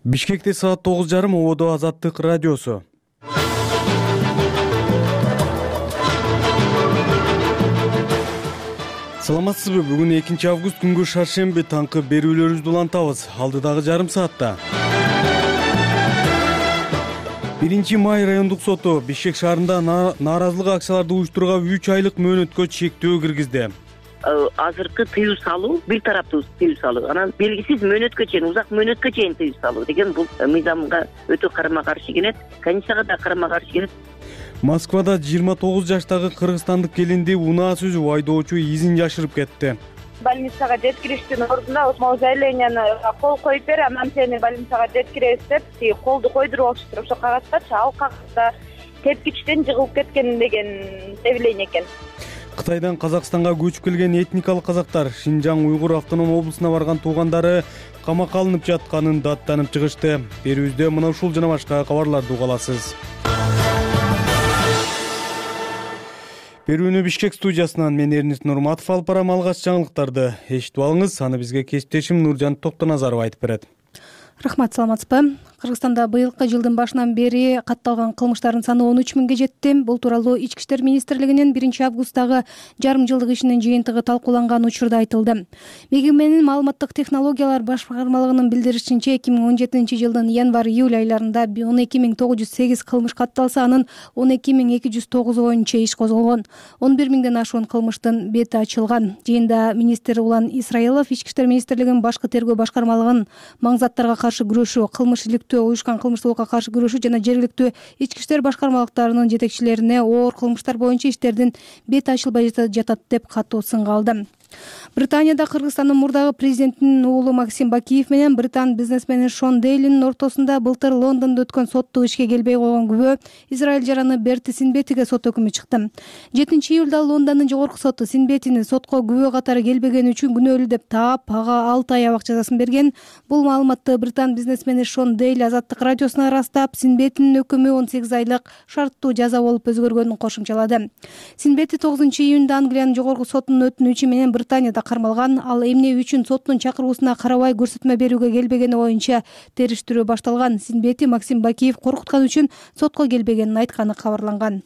Бишкекте саат 9:30 ободо Азаттык радиосу. Саламатсызбы? Бүгүн 2 август күнгө шаршемби таңкы берүүлөрүбүздү улантабыз. Алдыдагы жарым саатта 1 май райондук соту Бишкек шаарында нааразылык акцияларды уюштурууга 3 айлык мөөнөткө чектөө киргизди. Азыркы тыюу салуу бир тараптуу тыюу салуу, анан белгисиз мөөнөткө чейин, узак мөөнөткө чейин тыюу салуу деген бул мыйзамга өтө карама каршы келет, Конституцияга да карама каршы келет. Москвада 29 жаштагы кыргызстандык келинди унаа сүзүп айдоочу изин жашырып кетти. Больницага жеткириштин ордуна могу заявленияны кол коюп бер, анан сени больницага жеткиребиз деп колду койдуруп алышыптыр. Ошо кагазчы ал кагазда тепкичтен жыгылып кеткен деген заявление экен. Кытайдан Казакстанга көчүп келген этникалык казактар Шинжаң Уйгур автоном облусуна барган туугандары камакка алынып жатканын даттанып чыгышты. Берүүбүздө мына ушул жана башка кабарларды уга аласыз. Берүүнү Бишкек студиясынан мен Эрнис Нурматов алып барам. Алгач жаңылыктарды эшитип алыңыз. Аны бизге кесиптешим Нуржан Токтоназаров айтып берет. Рахмат, саламатсызбы? Кыргызстанда быйылкы жылдын башынан бери катталган кылмыштардын саны 13 миңге жетти. Бул тууралуу Ички иштер министрлигинин 1 августтагы жарым жылдык ишинин жыйынтыгы талкууланган учурда айтылды. МИГИМнин маалыматтык технологиялар башкармалыгынын билдиришинче 2017 жылдын январь-июль айларында 12908 кылмыш катталса, анын 12209 боюнча иш козголгон. 11 миңден ашуун кылмыштын бети ачылган. Жыйында министр Улан Исраилов Ички иштер министрлигинин башкы тергөө башкармалыгынын маңзаттарга каршы күрөшүү, кылмыш уюшкан кылмыштуулукка каршы күрөшүү жана жергиликтүү ички иштер башкармалыктарынын жетекчилерине оор кылмыштар боюнча иштердин бети ачылбай жатат деп катуу сынга алды. Британияда Кыргызстандын мурдагы президентинин уулу Максим Бакиев менен британ бизнесмени Шон Дейлинин ортосунда былтыр Лондондо өткөн соттук ишке келбей койгон күбө Израиль жараны Берти Синбетиге сот өкүмү чыкты. 7 июлда Лондондун жогорку соту Синбетини сотко күбө катары келбегени үчүн күнөөлүү деп таап, ага 6 ай абак жазасын берген. Бул маалыматты британ бизнесмени Шон Дейл Азаттык радиосуна ырастап, Синбетинин өкүмү 18 айлык шарттуу жаза болуп өзгөргөнүн кошумчалады. Синбети 9 июнда Англиянын жогорку сотунун өтүнүчү менен Британияда кармалган. Ал эмне үчүн соттун чакыруусуна карабай көрсөтмө берүүгө келбегени боюнча териштирүү башталган. Синбети Максим Бакиев коркуткан үчүн сотко келбегенин айтканы кабарланган.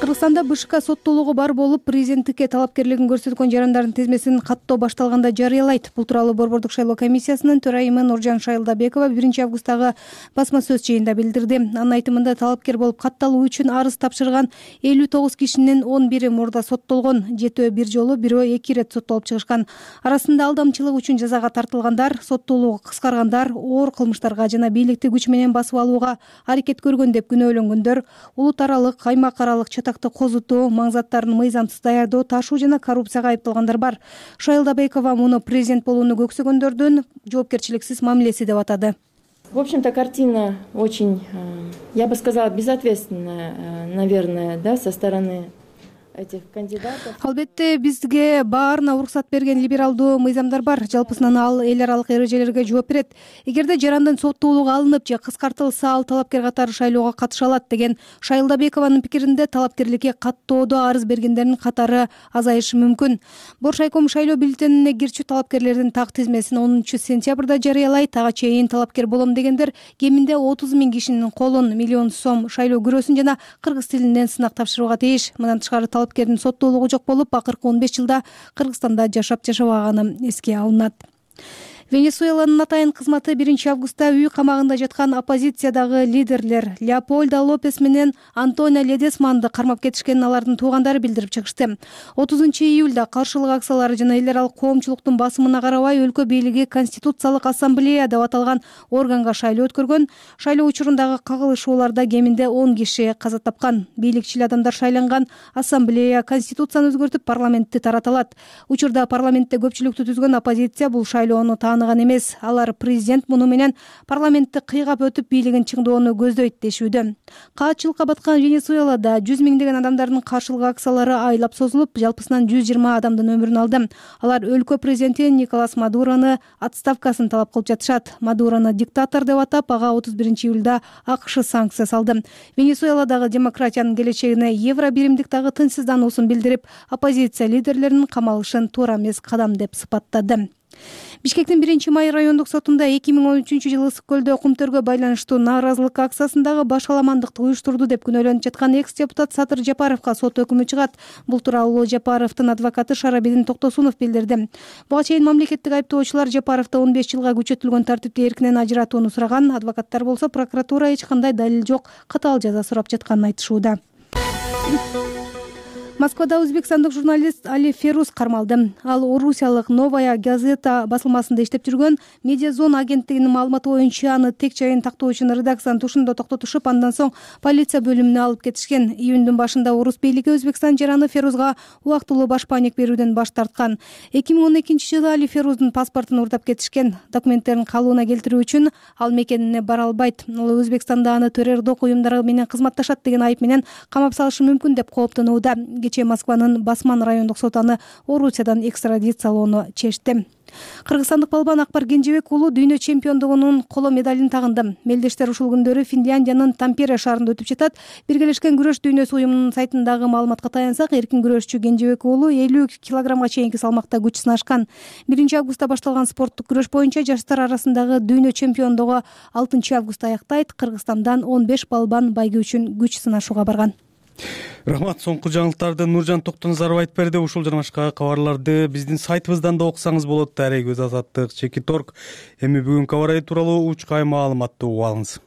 Кыргызстанда БШК соттуулугу бар болуп, президенттикке талапкерлигин көрсөткөн жарандардын тизмесин каттоо башталганда жарыялайт. Бул тууралуу Борбордук шайлоо комиссиясынын төрайымы Нуржан Шайлдабекова 1 августтагы басма сөз жыйында билдирди. Анын айтымында талапкер болуп катталуу үчүн арыз тапшырган 59 кишинин 11 мурда соттолгон. 7 бир жолу, бирөө 2 ирет соттолуп чыгышкан. Арасында алдамчылык үчүн жазага тартылгандар, соттуулугу кыскаргандар, оор кылмыштарга жана бийликти күч менен басып алууга аракет көргөн деп күнөөлөнгөндөр, улут аралык, аймак аралык чатакты козутуу, маңзаттарын мыйзамсыз даярдоо, ташуу жана коррупцияга айыпталгандар бар. Шайлдабекова муну президент болууну көксөгөндөрдүн жоопкерчиликсиз мамилеси деп атады. В общем-то, картина очень, я бы сказала, безответственная, наверное, да, со стороны этих кандидатов. Албетте бизге баарына уруксат берген либералдуу мыйзамдар бар. Жалпысынан ал эл аралык эрежелерге жооп берет. Эгерде жарандын соттуулугу алынып же кыскартылса, ал талапкер катары шайлоого катыша алат деген Шайлдабекованын пикиринде талапкерликке каттоодо арыз бергендердин катары азайышы мүмкүн. Боршайком шайлоо бюллетенине кирчү талапкерлердин так тизмесин 10 сентябрда жарыялайт. Ага чейин талапкер болом дегендер кеминде 30 миң кишинин колун, 1 миллион сом шайлоо күрөсүн жана кыргыз тилинен сынак тапшырууга тийиш. Мындан тышкары талапкердин соттуулугу жок болуп, акыркы 15 жылда Кыргызстанда жашабаганы эске алынат. Венесуэланын атайын кызматы 1 августта үй камагында жаткан оппозициядагы лидерлер Леопольдо Лопес менен Антонио Ледесманды кармап кетишкенин алардын туугандары билдирип чыгышты. 30 июлда каршылык акциялары жана эл аралык коомчулуктун басымына карабай өлкө бийлиги Конституциялык ассамблея деп аталган органга шайлоо өткөргөн. Шайлоо учурундагы кагылышууларда кеминде 10 киши каза тапкан. Бийликчил адамдар шайланган ассамблея Конституцияны өзгөртүп парламентти тарата алат. Учурда парламентте көпчүлүктү түзгөн оппозиция бул шайлоону тааныган эмес. Алар президент муну менен парламентти кыйгап өтүп бийлигин чыңдоону көздөйт дешүүдө. Каатчылыкка баткан Венесуэлада 100 миңдеген адамдардын каршылык акциялары айлап созулуп, жалпысынан 120 адамдын өмүрүн алды. Алар өлкө президенти Николас Мадуроны отставкасын талап кылып жатышат. Мадуроны диктатор деп атап, ага 31 июлда АКШ санкция салды. Венесуэладагы демократиянын келечегине евро биримдик дагы тынчсыздануусун билдирип, оппозиция лидерлеринин камалышын туура эмес кадам деп сыпаттады. Бишкектин 1-май райондук сотунда 2013-жылы ысык көлдө кум-төргө байланыштуу нааразылык акциясындагы башаламандыкты уюштурду деп күнөөлөнүп жаткан экс-депутат Садыр Жапаровго сот өкүмү чыгат. Бул тууралуу Жапаровдун адвокаты Шарабидин Токтосунов билдирди. Буга чейин мамлекеттик айыптоочулар Жапаровду 15 жылга күчөтүлгөн тартипте эркинен ажыратууну сураган. Адвокаттар болсо прокуратура эч кандай далил жок, катаал жаза сурап жатканын айтышууда. Москвада өзбекстандык журналист Али Феруз кармалды. Ал орусиялык Новая газета басылмасында иштеп жүргөн. Медиазон агенттигинин маалыматы боюнча аны тек жайын тактоочун редакциянын тушунда токтотушуп, андан соң полиция бөлүмүнө алып кетишкен. Июндүн башында орус бийлиги Өзбекстан жараны Ферузга убактылуу баш паек берүүдөн баш тарткан. 2012-жылы Али Феруздун паспортун уурдап кетишкен. Документтерин калыбына келтирүү үчүн ал мекенине бара албайт. Ал Өзбекстанда аны террордук уюмдар менен кызматташат деген айып менен камап салышы мүмкүн деп кооптонууда. Кечээ Москванын Басман райондук соту аны Орусиядан экстрадициялоону чечти. Кыргызстандык балбан Акбар Кенжебек уулу дүйнө чемпиондугунун коло медалин тагынды. Мелдештер ушул күндөрү Финляндиянын Тампере шаарында өтүп жатат. Биргелешкен күрөш дүйнөсү уюмунун сайтындагы маалыматка таянсак, эркин күрөшчү Кенжебек уулу 50 килограммга чейинки салмакта күч сынашкан. 1-августта башталган спорттук күрөш боюнча жаштар арасындагы дүйнө чемпиондугу 6-августта аяктайт. Кыргызстандан 15 балбан байгө үчүн күч сынашууга барган. Рахмат. Соңку жаңылыктарды Нуржан Токтоназаров айтып берди. Ушул жана башка кабарларды биздин сайтыбыздан да окусаңыз болот. Дарек-өз азаттык, Чеки-торг. Эми бүгүнкү аба ырайы тууралуу учкай маалыматты угуп алыңыз.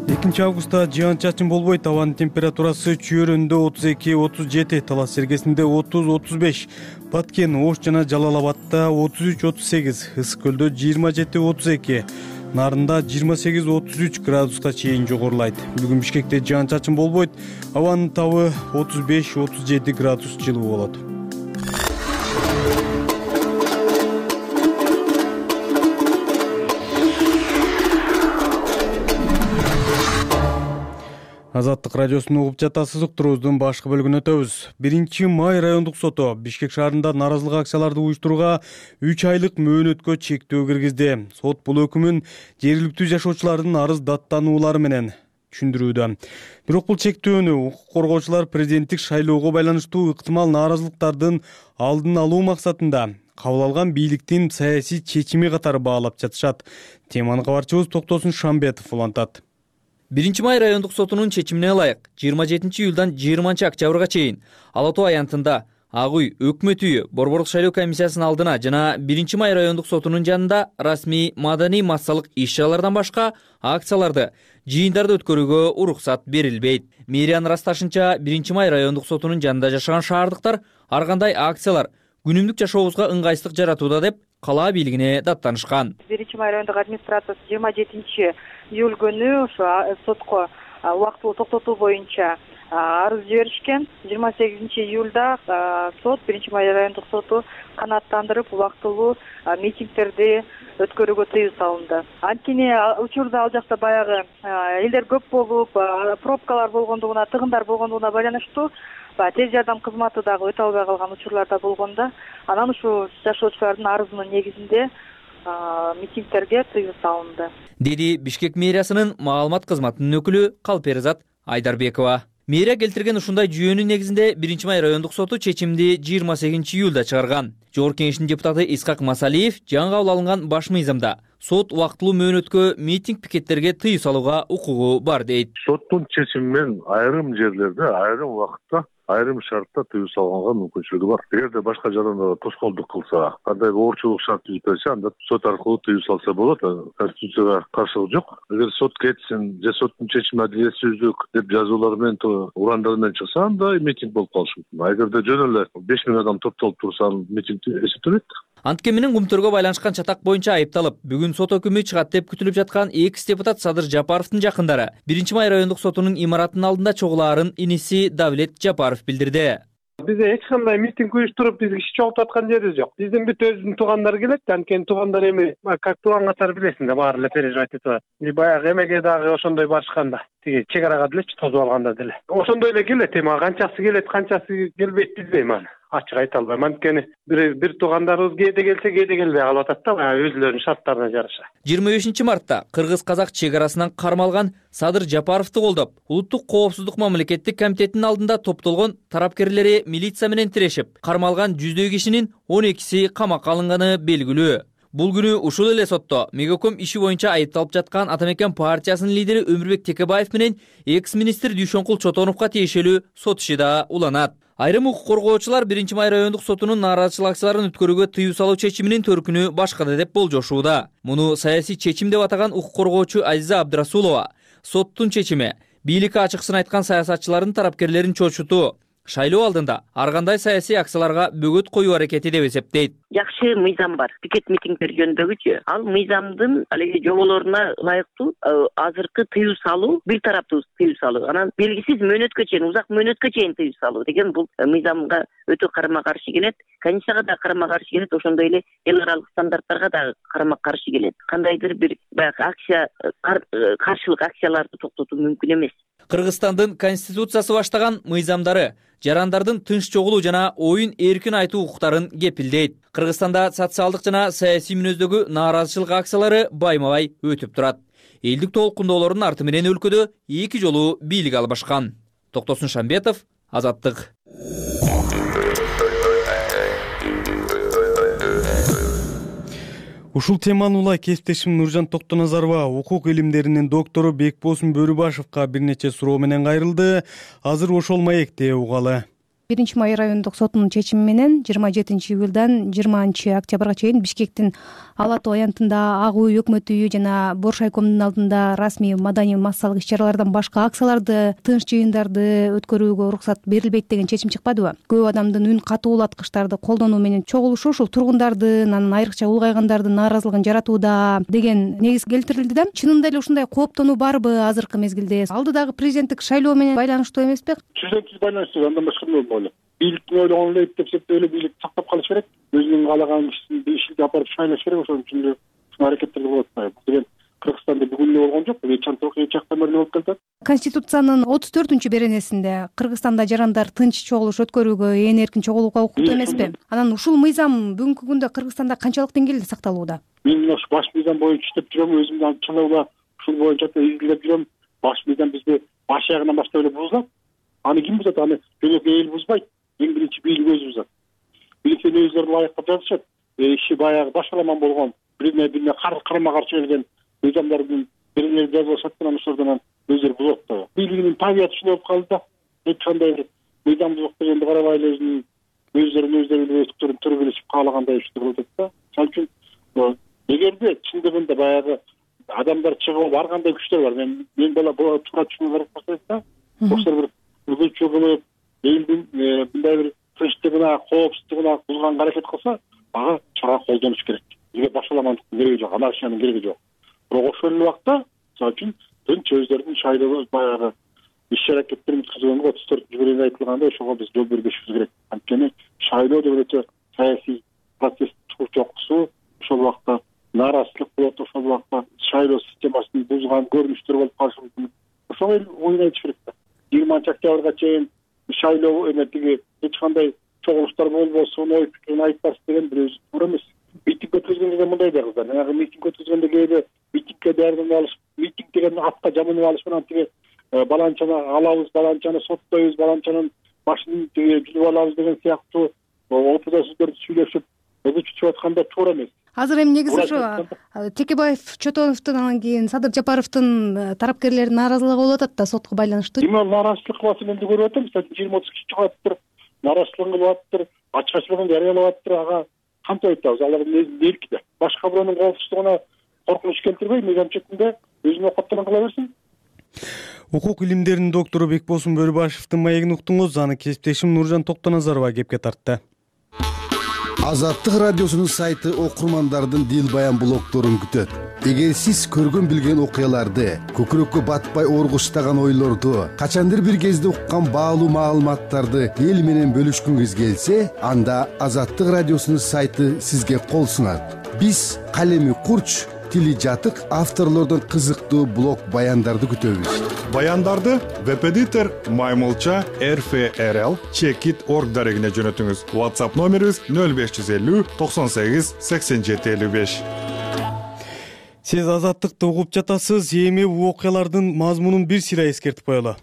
2-августта жаан-чачын болбойт. Абанын температурасы Чүйөрөндө 32-37, Талас Сергесинде 30-35, Баткен, Ош жана Жалал Абадта 33-38, Ысык көлдө 27-32, Нарында 28-33 градуска чейин жогорулайт. Бүгүн Бишкекте жаан-чачын болбойт. Абанын табы 35-37 градус жылуу болот. Азаттык радиосун угуп жатасыз. Уктуруубуздун башкы бөлүгүнө өтөбүз. 1-май райондук соту Бишкек шаарында нааразылык акцияларды уюштурууга 3 айлык мөөнөткө чектөө киргизди. Сот бул өкүмүн жергиликтүү жашоочулардын арыз даттануулары менен түшүндүрүүдө. Бирок бул чектөөнү укук коргоочулар президенттик шайлоого байланыштуу ыктымал нааразылыктардын алдын алуу максатында кабыл алган бийликтин саясий чечими катары баалап жатышат. Теманы кабарчыбыз Токтосун Шамбетов улантат. 1-май райондук сотунун чечимине ылайык 27-июлдан 20-октябрга чейин Ала Тоо аянтында Ак үй, Өкмөт үйү, Борборлук шайлоо комиссиясынын алдына жана 1-май райондук сотунун жанында расмий маданий массалык иш-чаралардан башка акцияларды, жыйындарды өткөрүүгө уруксат берилбейт. Мэриянын ырасташынча 1-май райондук сотунун жанында жашаган шаардыктар ар кандай акциялар күнүмдүк жашообузга ыңгайсыздык жаратууда деп кала бийлигине даттанышкан. 1-май райондук администрациясы 27-июль күнү ошо сотко убактылуу токтотуу боюнча арыз жиберишкен. 28-июлда сот 1-май райондук соту канааттандырып убактылуу митингдерди өткөрүүгө тыюу салынды. Анткени учурда ал жакта баягы элдер көп болуп, пробкалар болгондугуна, тыгындар болгондугуна байланыштуу тез жардам кызматы дагы өтө албай калган учурларда болгондо, анан ушул жашоочулардын арызынын негизинде митингдерге тыюу салынды, деди Бишкек мэриясынын маалымат кызматынын өкүлү Калперизат Айдарбекова. Мэрия келтирген ушундай жүйөнүн негизинде 1-май райондук соту чечимди 28-июлда чыгарган. Жогорку Кеңештин депутаты Исхак Масалиев жаңы кабыл алынган баш мыйзамда сот убактылуу мөөнөткө митинг пикеттерге тыюу салууга укугу бар дейт. Соттун чечими менен айрым жерлерде, айрым убакытта, айрым шартта тыюу салганга мүмкүнчүлүгү бар. Эгерде башка жаданда тоскоолдук кылса, кандай оорчулук шарт түзүп берсе, анда сот аркылуу тыюу салса болот. Конституцияга каршылык жок. Эгер сот кетсин же соттун чечими адилетсиздик деп жазуулар менен, урандар менен чыкса, анда митинг болуп калышы мүмкүн. Эгерде жөн эле 5000 адам топтолуп турса, митинг эсептелет. Антке менен кум-төргө байланышкан чатак боюнча айыпталып, бүгүн сот өкүмү чыгат деп күтүлүп жаткан экс-депутат Садыр Жапаровдун жакындары 1-май райондук сотунун имаратынын алдында чогулаарын иниси Давлет Жапаров билдирди. Бизде эч кандай митинг уюштуруп, биз киши чогултуп аткан жерибиз жок. Биздин бүт өзүнүн туугандары келет, анткени туугандар эми как тууган катары билесиң да, баары эле переживать этип атат. Баягы эмеге дагы ошондой барышканда, тиги чек арага делечи тосуп алганда деле. Ошондой эле келет, эми канчасы келет, канчасы келбейт билбейм аны. ачык айта албайм. Анткени бир туугандарыбыз кээде келсе кээде келбей калып атат да, баягы өзүлөрүнүн шарттарына жараша. 25 мартта кыргыз-казак чек арасынан кармалган Садыр Жапаровду колдоп, Улуттук коопсуздук мамлекеттик комитетинин алдында топтолгон тарапкерлери милиция менен тирешип, кармалган 100дөй кишинин 12си камакка алынганы белгилүү. Бул күнү ушул эле сотто Мегаком иши боюнча айыпталып жаткан Ата Мекен партиясынын лидери Өмүрбек Текебаев менен экс-министр Дүйшөнкул Чотоновго тиешелүү сот иши да уланат. Айрым укук коргоочулар 1-май райондук сотунун нааразычылык акцияларын өткөрүүгө тыюу салуу чечиминин төркүнү башкада деп болжошууда. Муну саясий чечим деп атаган укук коргоочу Азиза Абдрасулова соттун чечими бийликке ачыкчасын айткан саясатчылардын тарапкерлерин чочутуу, шайлоо алдында ар кандай саясий акцияларга бөгөт коюу аракети деп эсептейт. Жакшы мыйзам бар. Пикет митингдер жөнүндөгүчү. Ал мыйзамдын алеги жоболоруна ылайыктуу азыркы тыюу салуу, бир тараптуу тыюу салуу, анан белгисиз мөөнөткө чейин, узак мөөнөткө чейин тыюу салуу деген бул мыйзамга өтө карама каршы келет. Конституцияга да карама каршы келет, ошондой эле эл аралык стандарттарга да карама каршы келет. Кандайдыр бир баягы акция, каршылык акцияларды токтотуу мүмкүн эмес. Кыргызстандын конституциясы баштаган мыйзамдары жарандардын тынч чогулуу жана оюн эркин айтуу укуктарын кепилдейт. Кыргызстанда социалдык жана саясий мүнөздөгү нааразычылык акциялары байма-бай өтүп турат. Элдик толкундоолордун арты менен өлкөдө 2 жолу бийлик албашкан. Токтосун Шамбетов, Азаттык. Ушул теманы улай кесиптешим Нуржан Токтоназарова укук илимдеринин доктору Бекбосун Бөрүбашевка бир нече суроо менен кайрылды. Азыр ошол маекте угалы. 1-май райондук сотунун чечими менен 27-июлдан 20-октябрга чейин Бишкектин Ала Тоо аянтында Ак үй өкмөт үйү жана Боршайкомдун алдында расмий маданий массалык иш-чаралардан башка акцияларды, тынч жыйындарды өткөрүүгө уруксат берилбейт деген чечим чыкпадыбы? Көп адамдын үн катуулаткычтарды колдонуу менен чогулушу ушул тургундардын, анан айрыкча улгайгандардын нааразылыгын жаратууда деген негиз келтирилди да. Чынында эле ушундай кооптонуу барбы азыркы мезгилде? Алдыдагы президенттик шайлоо менен байланыштуу эмеспи? Түз байланыштуу, андан башка эмне болбойт. Бийликтин ойлогону эле деп эсептеп эле бийлик сактап калыш керек. Өзүнүн каалаган кишисин ишинде апарып шайлаш керек. Ошон үчүн эле ушул аракеттерди болуп атпайбы. Бул деген Кыргызстанда бүгүн эле болгон жок. Эч жактан бери болуп келатат. Конституциянын 34-беренесинде Кыргызстанда жарандар тынч чогулуш өткөрүүгө, ээн эркин чогулууга укуктуу эмеспи? Анан ушул мыйзам бүгүнкү күндө Кыргызстанда канчалык деңгээлде сакталууда? Мен мына ушу баш мыйзам боюнча иштеп жүрөм, өзүм да чыныгы ушул боюнча изилдеп жүрөм. Баш мыйзам бизде баш аягынан баштап эле бузулат. Аны ким бузат? Аны жөнөкөй эл бузбайт. Эң биринчи бийлик өзү бузат. Бийликтен өздөрү ылайыктап жазышат. Иши баягы башаламан болгон, бирине карама каршы келген мыйзамдардын бирине жазылышат анан ошолордон өздөрү бузат да. Бийлигинин табияты ушундай болуп калды да. Эч кандай бир мыйзамдуулук дегенди карабай эле өздөрүн өздөрүн төрөлүшүп каалагандай иштер болуп атат да. Ошон үчүн эгерде чындыгында баягы адамдар чыгып ар кандай күчтөр бар. Мен бала туура түшүнүү керек болсо да. Ошол бир күчү кылып элдин мындай бир тынчтыгына, коопсуздугуна бузганга аракет кылса, ага чара колдонуш керек. Бизге башаламандыктын кереги жок, анархиянын кереги жок. Бирок ошол эле убакта, мисалы үчүн тынч өздөрүнүн шайлоо баягы иш-аракеттерин өткөзгөнгө 34-беренеде айтылгандай ошого биз жол бербешибиз керек. Анткени шайлоо деп өтө саясий процесс чокусу, ошол убакта нааразычылык болот, ошол убакта шайлоо системасын бузган көрүнүштөр болуп калышы мүмкүн. Ошого эл оюн айтыш керек да. 20-октябрга чейин шайлоо тиги эч кандай чогулуштар болбосун, ой пикирин айтпасын деген бир өзү туура эмес. Митинг өткөзгөндө мындай да кыздар. Жанагы митинг өткөзгөндө кээде митингге даярданып алыш, митинг деген атка жамынып алыш менен тиги баланчаны алабыз, баланчаны соттойбуз, баланчанын башын жүзүп алабыз деген сыяктуу опуда сөздөрдү сүйлөшүп, өзү чүчүп атканда туура эмес. Азыр эми негизи ошо Текебаев, Чотоновдун анан кийин Садыр Жапаровдун тарапкерлеринин нааразылыгы болуп атат да сотко байланыштуу. Эми нааразычылык кылып атат, көрүп атам. 20-30 киши чыгып атыптыр, нааразычылыгын кылып атыптыр, ачкачылыгын жарыялап атыптыр. Ага кантип айтабыз? Алардын эрки да. Башка бирөөнүн коопсуздугуна коркунуч келтирбей, мыйзам четинде өзүнүн окоттонун кыла берсин. Укук илимдеринин доктору Бекбосун Бөрүбашевдин маегин уктуңуз. Аны кесиптешим Нуржан Токтоназарова кепке тартты. Азаттык радиосунун сайты окурмандардын дил баян блогдорун күтөт. Эгер сиз көргөн билген окуяларды, көкүрөккө батпай оргуштаган ойлорду, качандыр бир кезде уккан баалуу маалыматтарды эл менен бөлүшкүңүз келсе, анда Азаттык радиосунун сайты сизге кол сунат. Биз калеми курч, тили жатык авторлордун кызыктуу блог баяндарды күтөбүз. Баяндарды webeditor@mymulcha.rfrl.org дарегине жөнөтүңүз. WhatsApp номерибиз 0550 98 87 55. Сиз Азаттыкты угуп жатасыз. Эми окуялардын мазмунун бир сыйра эскертип коелу.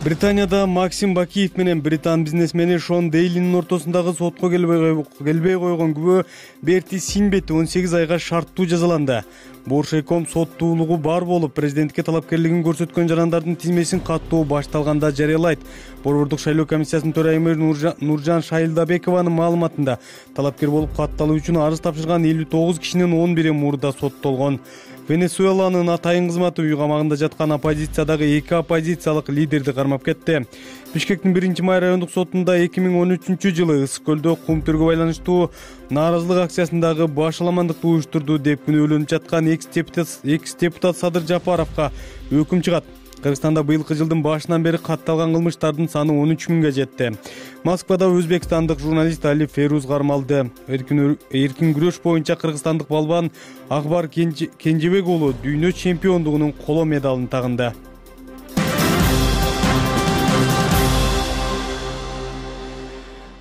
Британияда Максим Бакиев менен британ бизнесмени Шон Дейлинин ортосундагы сотко келбей койгон күбө Берти Синбет 18 айга шарттуу жазаланды. Боршейком соттуулугу бар болуп, президентке талапкерлигин көрсөткөн жарандардын тизмесин каттоо башталганда жарыялайт. Борбордук шайлоо комиссиясынын төрайымы Нуржан Шайлдабекованын маалыматында талапкер болуп катталуу үчүн арыз тапшырган 59 кишинин 11-и мурда соттолгон. Венесуэланын атайын кызматы үй камагында жаткан оппозициядагы 2 оппозициялык лидерди кармап кетти. Бишкектин 1-май райондук сотунда 2013-жылы Ысык көлдө кум төргө байланыштуу нааразылык акциясындагы башаламандыкты уюштурду деп күнөөлөнүп жаткан экс-депутат Садыр Жапаровго өкүм чыгат. Кыргызстанда быйылкы жылдын башынан бери катталган кылмыштардын саны 13 миңге жетти. Москвада өзбекстандык журналист Али Феруз кармалды. Эркин күрөш боюнча кыргызстандык балбан Акбар Кенжебек уулу дүйнө чемпиондугунун коло медалын тагынды.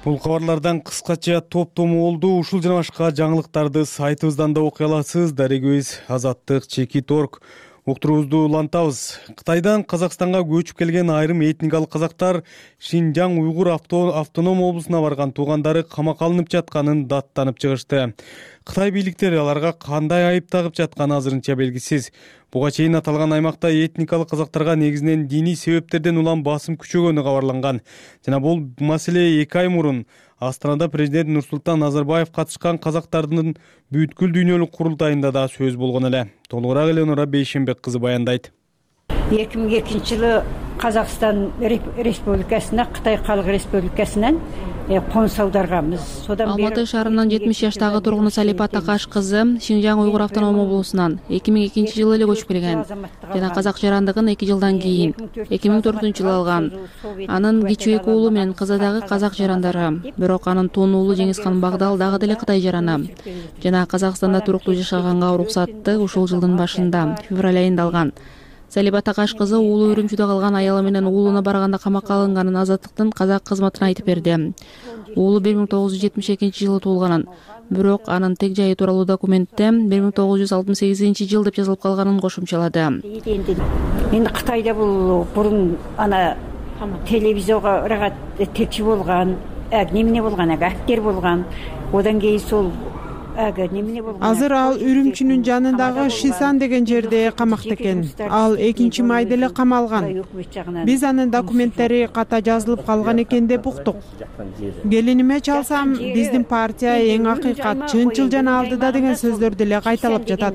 Бул кабарлардан кыскача топтому болду. Ушул жана башка жаңылыктарды сайтыбыздан да окуй аласыз. Дарегибиз azattik.org. Уктуруубузду улантабыз. Кытайдан Казакстанга көчүп келген айрым этникалык казактар Шинжаң уйгур автоном облусуна барган туугандары камакка алынып жатканын даттанып чыгышты. Кытай бийликтери аларга кандай айып тагып жатканы азырынча белгисиз. Буга чейин аталган аймакта этникалык казактарга негизинен диний себептерден улам басым күчөгөнү кабарланган. Жана бул маселе 2 ай мурун Астанада президент Нурсултан Назарбаев катышкан казактардын бүткүл дүйнөлүк курултайында да сөз болгон эле. Толугураак Эленора Бейшембек кызы баяндайт. 2002-жылы Казакстан Республикасына Кытай Калык Республикасынан конус аударганбыз. Алматы шаарынын 70 жаштагы тургуну Салипа Такаш кызы Шинжаң уйгур автоном облусунан 2002-жылы эле көчүп келген жана казак жарандыгын 2 жылдан кийин 2004-жылы алган. Анын кичүү эки уулу менен кызы дагы казак жарандары, бирок анын тун уулу Жеңизхан Багдал дагы деле Кытай жараны. Жана Казакстанда туруктуу жашаганга уруксатты ушул жылдын башында, февраль айында алган. Салипа Такаш кызы уулу Үрүмчүдө калган аялы менен уулуна барганда камакка алынганын Азаттыктын казак кызматына айтып берди. Уулу 1972-жылы туулганын, бирок анын тег жайы тууралуу документте 1968-жыл деп жазылып калганын кошумчалады. Эми Кытайда бул бурун ана телевизорго текчи болгон, эмне болгон, актер болгон. Одан кийин сол азыр ал Үрүмчүнүн жанындагы Шисан деген жерде камакта экен. Ал 2-майда эле камалган. Биз анын документтери ката жазылып калган экен деп уктук. Келиниме чалсам, биздин партия эң акыйкат, чынчыл жана алдыда деген сөздөрдү эле кайталап жатат.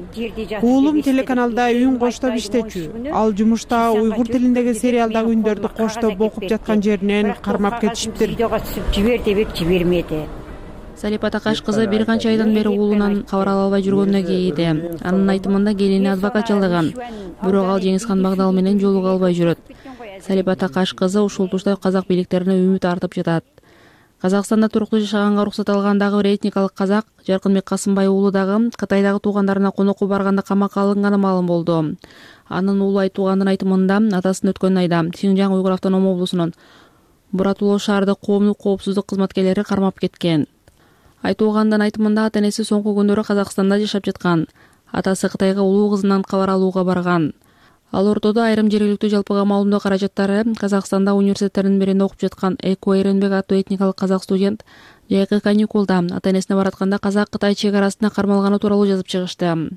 Уулум телеканалда үн коштоп иштечү. Ал жумушта уйгур тилиндеги сериалдагы үндөрдү коштоп окуп жаткан жеринен кармап кетишиптир. Жибер дебек жибермеди. Салипа Такаш кызы бир канча айдан бери уулунан кабар ала албай жүргөнүнө кейиди. Анын айтымында келини адвокат жалдаган, бирок ал Жеңизхан Багдал менен жолуга албай жүрөт. Салипа Такаш кызы ушул тушта казак бийликтерине үмүт артып жатат. Казакстанда туруктуу жашаганга уруксат алган дагы бир этникалык казак Жаркынбек Касымбай уулу дагы Кытайдагы туугандарына конокко барганда камакка алынганы маалым болду. Анын уулу айтуугандын айтымында атасын өткөн айда Шинжаң уйгур автоном облусунун Буратулоо шаардык коомдук коопсуздук кызматкерлери кармап кеткен. Айтуугандын айтымында ата-энеси соңку күндөрү Казакстанда жашап жаткан. Атасы Кытайга улуу кызынан кабар алууга барган. Ал ортодо айрым жергиликтүү жалпыга маалымдоо каражаттары Казакстанда университеттердин биринде окуп жаткан Эко Эренбек аттуу этникалык казак студент жайкы каникулда ата-энесине баратканда Казак-Кытай чек арасына кармалганы тууралуу жазып чыгышты.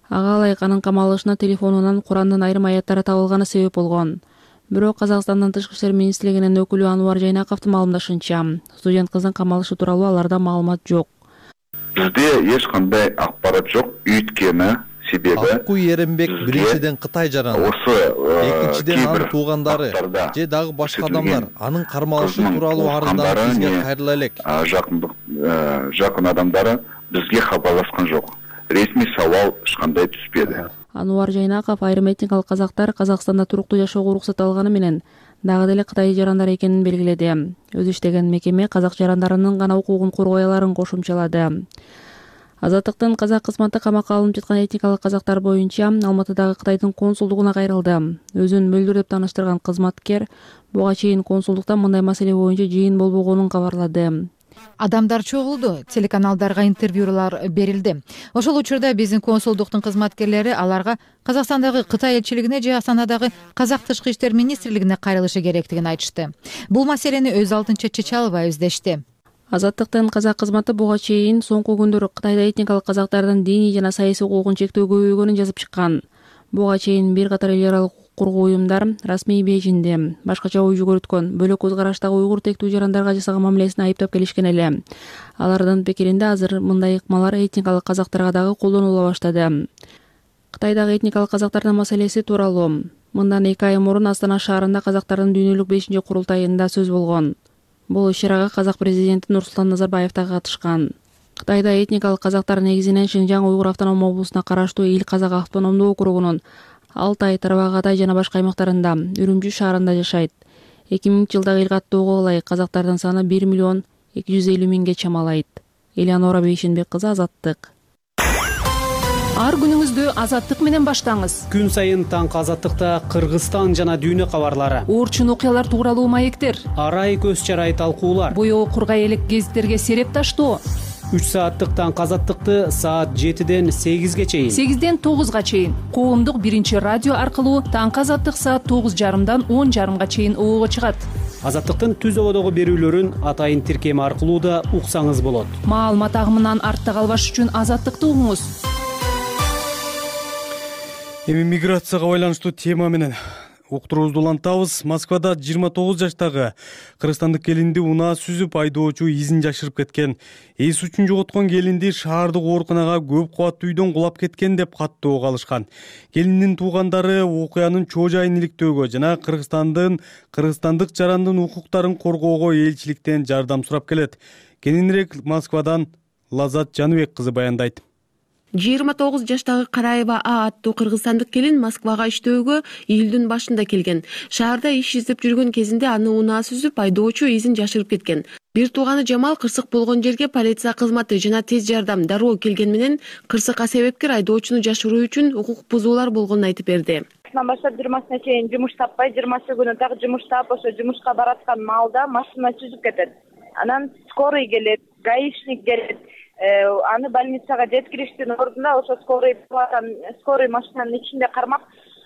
Ага ылайык анын камалышына телефонунан Курандын айрым аяттары табылганы себеп болгон. Бирок Казакстандын Тышкы иштер министрлигинин өкүлү Ануар Жайнаковдун маалымдашынча, студент кыздын камалышы тууралуу аларда маалымат жок. Бизде эч кандай акпарат жок, үйткөнү себеби Акку Эренбек биринчиден Кытай жараны, экинчиден анын туугандары же дагы башка адамдар анын кармалышы тууралуу арызданып бизге кайрыла элек. Жакын адамдары бизге кабарлашкан жок. Ресми сабал эч кандай түспөдү. Ануар Жайнаков айрым этникалык казактар Казакстанда туруктуу жашоого уруксат алганы менен дагы деле Кытай жарандары экенин белгиледи. Өзү иштеген мекеме казак жарандарынын гана укугун коргой аларын кошумчалады. Азаттыктын казак кызматы камакка алынып жаткан этникалык казактар боюнча Алматыдагы Кытайдын консулдугуна кайрылды. Өзүн мөлдүр деп тааныштырган кызматкер буга чейин консулдукта мындай маселе боюнча жыйын болбогонун кабарлады. Адамдар чогулду, телеканалдарга интервьюлар берилди. Ошол учурда биздин консулдуктун кызматкерлери аларга Казакстандагы Кытай элчилигине же Астанадагы Казак тышкы иштер министрлигине кайрылышы керектигин айтышты. Бул маселени өз алдынча чече албайбыз дешти. Азаттыктын казак кызматы буга чейин соңку күндөрү Кытайда этникалык казактардын диний жана саясий укугун чектөө көбөйгөнүн жазып чыккан. Буга чейин бир катар эл аралык укук коргоо уюмдар расмий бейжинди башкача ой жүгүрткөн бөлөк көз караштагы уйгур тектүү жарандарга жасаган мамилесин айыптап келишкен эле. Алардын пикиринде азыр мындай ыкмалар этникалык казактарга дагы колдонула баштады. Кытайдагы этникалык казактардын маселеси тууралуу мындан 2 ай мурун Астана шаарында казактардын дүйнөлүк 5-курултайында сөз болгон. Бул иш-чарага казак президенти Нурсултан Назарбаев да катышкан. Кытайда этникалык казактар негизинен Шинжаң уйгур автоном облусуна караштуу Ил Казак автономдуу округунун Алтай, Тарбағатай жана башка аймактарында, Үрүмчү шаарында жашайт. 2000-жылдагы эл каттоого ылайык казактардын саны 1,250,000 чамалайт. Элеонора Бейшенбек кызы, Азаттык. Ар күнүңүздү Азаттык менен баштаңыз. Күн сайын таңкы Азаттыкта Кыргызстан жана дүйнө кабарлары, оорчун окуялар тууралуу маектер, арай көз чарай талкуулар, боёо кургай элек гезиттерге сереп таштоо. 3 сааттык таңкы Азаттыкты саат 7ден 8ге чейин, 8ден 9га чейин коомдук биринчи радио аркылуу таңкы Азаттык саат 9:30дан 10:30га чейин обого чыгат. Азаттыктын түз ободогу берүүлөрүн атайын тиркеми аркылуу да уксаңыз болот. Маалымат агымынан артта калбаш үчүн Азаттыкты угуңуз. Эми миграцияга байланыштуу тема менен уктуруубузду улантабыз. Москвада 29 жаштагы кыргызстандык келинди унаа сүзүп айдоочу изин жашырып кеткен. Эс үчүн жоготкон келинди шаардык ооруканага көп кабаттуу үйдөн кулап кеткен деп каттоого алышкан. Келиндин туугандары окуянын чоо жайын иликтөөгө жана кыргызстандык жарандын укуктарын коргоого элчиликтен жардам сурап келет. Кененирээк Москвадан Лазат Жаныбек кызы баяндайт. 29 жаштагы Караева А аттуу кыргызстандык келин Москвага иштөөгө июлдун башында келген. Шаарда иш издеп жүргөн кезинде аны унаа сүзүп айдоочу изин жашырып кеткен. Бир тууганы Жамал кырсык болгон жерге полиция кызматы жана тез жардам дароо келген менен кырсыкка себепкер айдоочуну жашыруу үчүн укук бузуулар болгонун айтып берди. Баштап 20-сына чейин жумуш таппай, 20 күнү так жумуш таап, ошо жумушка бараткан маалда машина сүзүп кетет. Анан скорый келет, гаишник келет. Аны больницага жеткириштин ордуна ошо скорый машинанын ичинде кармап,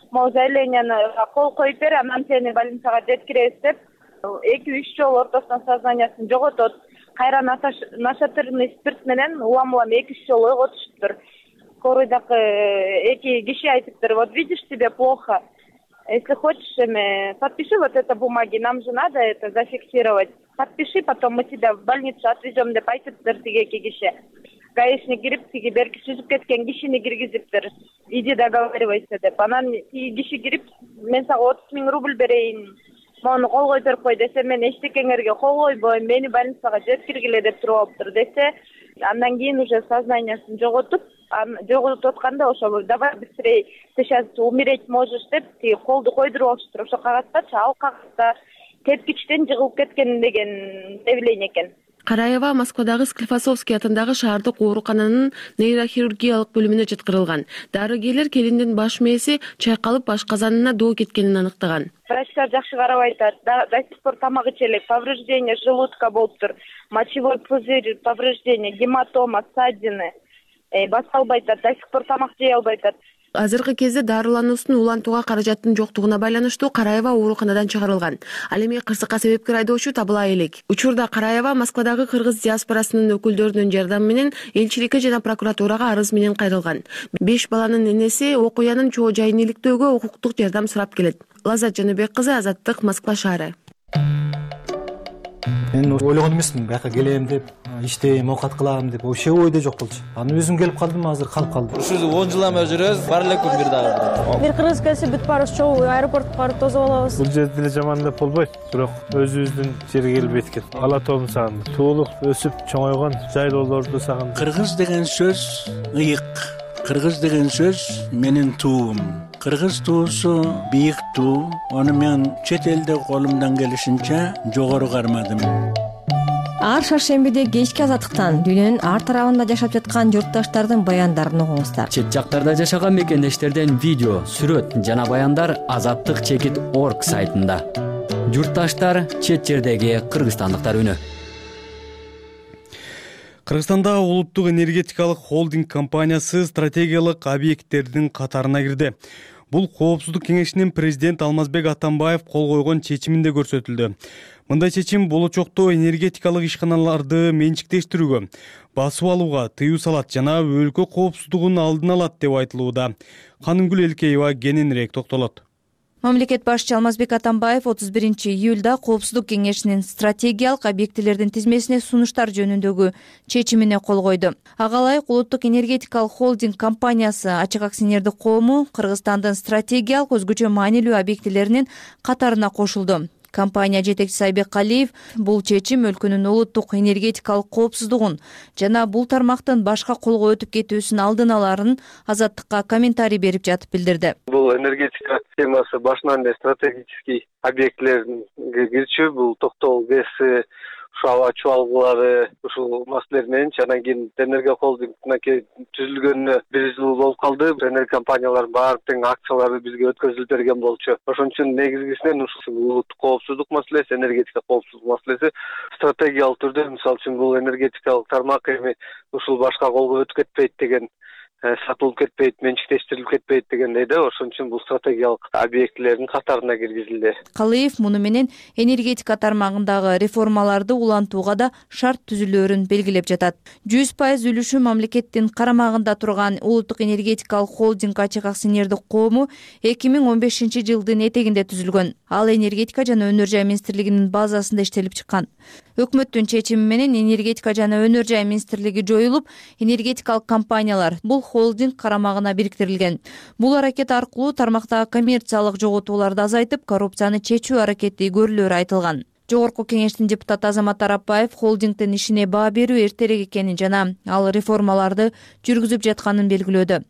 могу заявленияны кол коюп бер, анан сени больницага жеткиребиз деп 2-3 жолу ортосунан сознаниясын жоготот. Кайра нашатырный спирт менен улам 2-3 жолу ойготушуптур. Скорыйдагы 2 киши айтыптыр: вот видишь, тебе плохо. Если хочешь, подпиши вот это бумаги, нам же надо это зафиксировать. Подпиши, потом мы тебя в больницу отвезем деп айтыптыр тиги 2 киши. Гаишник кирип, тиги берки сүзүп кеткен кишини киргизиптир. Иди договаривайся деп. Анан тиги киши кирип, мен сага 30,000 рубль берейин, мону колгой берип кой десе, мен эчтекеңерге кол койбойм, мени больницага жеткиргиле деп туруп алыптыр десе, андан кийин уже сознаниясын жоготуп атканда ошо давай быстрее, ты сейчас умереть можешь деп тиги колду койдуруп алыштыр. Ошо кагазча, ал кагазда тепкичтен жыгылып кеткен деген заявление экен. Караева Москвадагы Склифосовский атындагы шаардык оорукананын нейрохирургиялык бөлүмүнө жаткырылган. Дарыгерлер келиндин баш мээси чайкалып баш казанына доо кеткенин аныктаган. Врачтар жакшы карабай атат. До сих пор тамак иче элек, повреждение желудка болуптур, мочевой пузырь, повреждение, гематома, ссадины. Басып албай атат, до сих пор тамак жей албай атат. Азыркы кезде дарылануусун улантууга каражаттын жоктугуна байланыштуу Караева ооруканадан чыгарылган. Ал эми кырсыкка себепкер айдоочу табыла элек. Учурда Караева Москвадагы кыргыз диаспорасынын өкүлдөрүнүн жардамы менен элчиликке жана прокуратурага арыз менен кайрылган. 5 баланын энеси окуянын чоо жайын иликтөөгө укуктук жардам сурап келет. Лазат Жаныбек кызы, Азаттык, Москва шаары. Мен ойлогон эмесмин, бияка келем деп, иштейм, оокат кылам деп, вообще ойдо жок болчу. Аны өзүм келип калдым, азыр калып калдым. Ушул 10 жылдан бери жүрөбүз, бар эле күн бир дагы. Бир кыргыз келсе бүт баарыбыз чогуу аэропортко барып тосуп алабыз. Бул жерде деле жаман деп болбойт, бирок өзүбүздүн жерге келип эткен. Ала тоом сагындым. Туулуп, өсүп, чоңойгон жайлоолорду сагындым. Кыргыз деген сөз ыйык. Кыргыз деген сөз менин туум. Кыргыз туусу бийик туу. Аны мен чет элде колумдан келишинче жогору кармадым. ар шаршембиде кечки азаттыктан дүйнөнүн ар тарабында жашап жаткан журтташтардын баяндарын угуңуздар. Чет жактарда жашаган мекендештерден видео, сүрөт жана баяндар azattik.org сайтында. Журтташтар, чет жердеги кыргызстандыктар үнү. Кыргызстанда улуттук энергетикалык холдинг компаниясы стратегиялык объекттердин катарына кирди. Бул Коопсуздук кеңешинин президент Алмазбек Атамбаев кол койгон чечиминде көрсөтүлдү. Мындай чечим болочокто энергетикалык ишканаларды менчиктештирүүгө, басып алууга тыюу салат жана өлкө коопсуздугун алдын алат деп айтылууда. Канымгүл Элкеева кененирээк токтолот. Мамлекет башчы Алмазбек Атамбаев 31-июлда Коопсуздук кеңешинин стратегиялык объектилердин тизмесине сунуштар жөнүндөгү чечимине кол койду. Ага ылайык улуттук энергетикалык холдинг компаниясы ачык акционердик коому Кыргызстандын стратегиялык өзгөчө маанилүү объектилеринин катарына кошулду. Компания жетекчиси Айбек Калиев бул чечим өлкөнүн улуттук энергетикалык коопсуздугун жана бул тармактын башка колго өтүп кетүүсүн алдын аларын Азаттыкка комментарий берип жатып билдирди. Бул энергетика темасы башынан эле стратегический объектлерге кирчү, бул токтогул ГЭС, аба чубалгылары ушул маселелер менен анан кийин энергия холдингине түзүлгөнүнө 1 жыл болуп калды. Энергия компаниялардын баардык акциялары бизге өткөзүлүп берген болчу. Ошон үчүн негизгисинен ушул улуттук коопсуздук маселеси, энергетика коопсуздук маселеси стратегиялык түрдө, мисалы үчүн бул энергетикалык тармак эми ушул башка колго өтүп кетпейт деген, сатылып кетпейт, менчиктештирилип кетпейт дегендей да, ошон үчүн бул стратегиялык объектилердин катарына киргизилди. Калиев муну менен энергетика тармагындагы реформаларды улантууга да шарт түзүлөөрүн белгилеп жатат. 100% үлүшү мамлекеттин карамагында турган улуттук энергетикалык холдинг ачык акционердик коому 2015-жылдын этегинде түзүлгөн. Ал энергетика жана өнөр жай министрлигинин базасында иштелип чыккан. Өкмөттүн чечими менен энергетика жана өнөр жай министрлиги жоюлуп, энергетикалык компаниялар бул холдинг карамагына бириктирилген. Бул аракет аркылуу тармактагы коммерциялык жоготууларды азайтып, коррупцияны чечүү аракети көрүлөөрү айтылган. Жогорку кеңештин депутаты Азамат Арапбаев холдингдин ишине баа берүү эртерээк экенин жана ал реформаларды жүргүзүп жатканын белгилөөдө.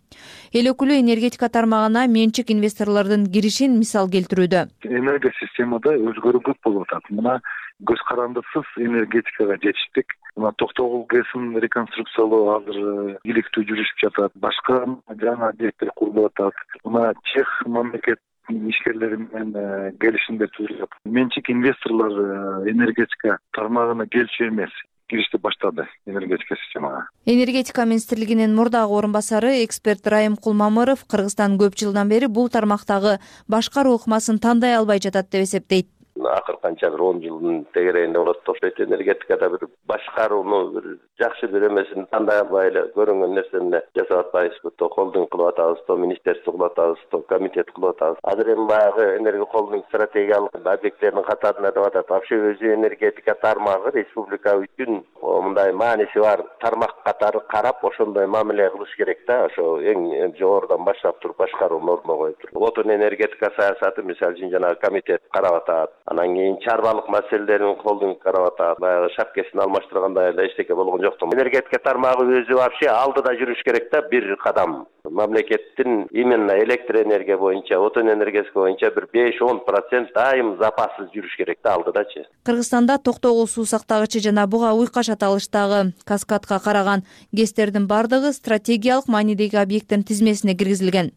Эл өкүлү энергетика тармагына менчик инвесторлордун киришин мисал келтирүүдө. Энергия системада өзгөрүү көп болуп атат. Мына көз карандысыз энергетикага жетиштик. Мына токтогул ГЭСин реконструкциялоо азыр иликтүү жүрүшүп жатат. Башка жаңы объекттер курулуп атат. Мына Чех мамлекет ишкерлери менен келишимдер түзүлүп. Менчик инвесторлор энергетика тармагына келчү эмес. Киришти баштады энергетика системага. Энергетика министрлигинин мурдагы орун басары эксперт Райым Кулмамыров Кыргызстан көп жылдан бери бул тармактагы башкаруу ыкмасын тандай албай жатат деп эсептейт. Акыр канча 10 жылдын тегерегинде болот окшойт. Энергетикада бир башкарууну бир жакшы бир эмесин тандай албай эле көрүнгөн нерсени жасап атпайбызбы? То холдинг кылып атабыз, то министерство кылып атабыз, то комитет кылып атабыз. Азыр эми баягы энергия холдинг стратегиялык объекттердин катарына деп атат. Вообще өзү энергетика тармагы республика үчүн мындай мааниси бар тармак катары карап, ошондой мамиле кылыш керек да. Ошо эң жогорудан баштап туруп башкарууну ордуна коюп туруп. Отун энергетика саясаты мисалы үчүн жана комитет карап атат. Анан кийин чарбалык маселелерин холдинг карап атат. Баягы шапкесин алмаштыргандай эле эчтеке болгон жок. Энергетика тармагы өзү вообще алдыда жүрүш керек да, бир кадам. Мамлекеттин именно электр энергия боюнча, отун энергетика боюнча бир 5-10% дайым запассыз жүрүш керек да, алдыдачы. Кыргызстанда токтогул суу сактагычы жана буга уйкаш аталыштагы каскадка караган ГЭСтердин бардыгы стратегиялык маанидеги объекттин тизмесине киргизилген.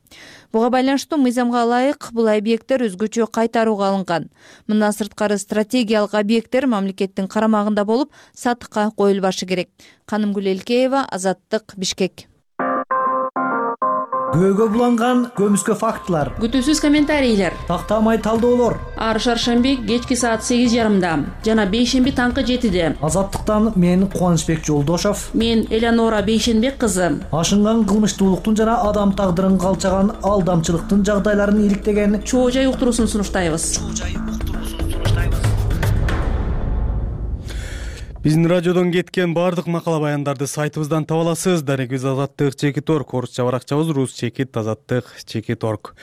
Буга байланыштуу мыйзамга ылайык бул объекттер өзгөчө кайтарууга алынган. Мындан сырткары стратегиялык объекттер мамлекеттин карамагында болуп, сатыкка коюлбашы керек. Канымгүл Элкеева, Азаттык, Бишкек. Көөгө буланган көмүскө фактылар, күтүүсүз комментарийлер, тактамай талдоолор. Ар шаршемби кечки саат 8:30, жана бейшемби таңкы 7:00. Азаттыктан мен Кубанычбек Жолдошов, мен Элеонора Бейшенбек кызы. Ашынган кылмыштуулуктун жана адам тагдырын калчаган алдамчылыктын жагдайларын иликтеген чоо жай уктуруусун сунуштайбыз. Биздин радиодон кеткен бардык макала баяндарды сайтыбыздан таба аласыз. Дарегибиз azattik.org, орусча баракчабыз rus-azattik.org.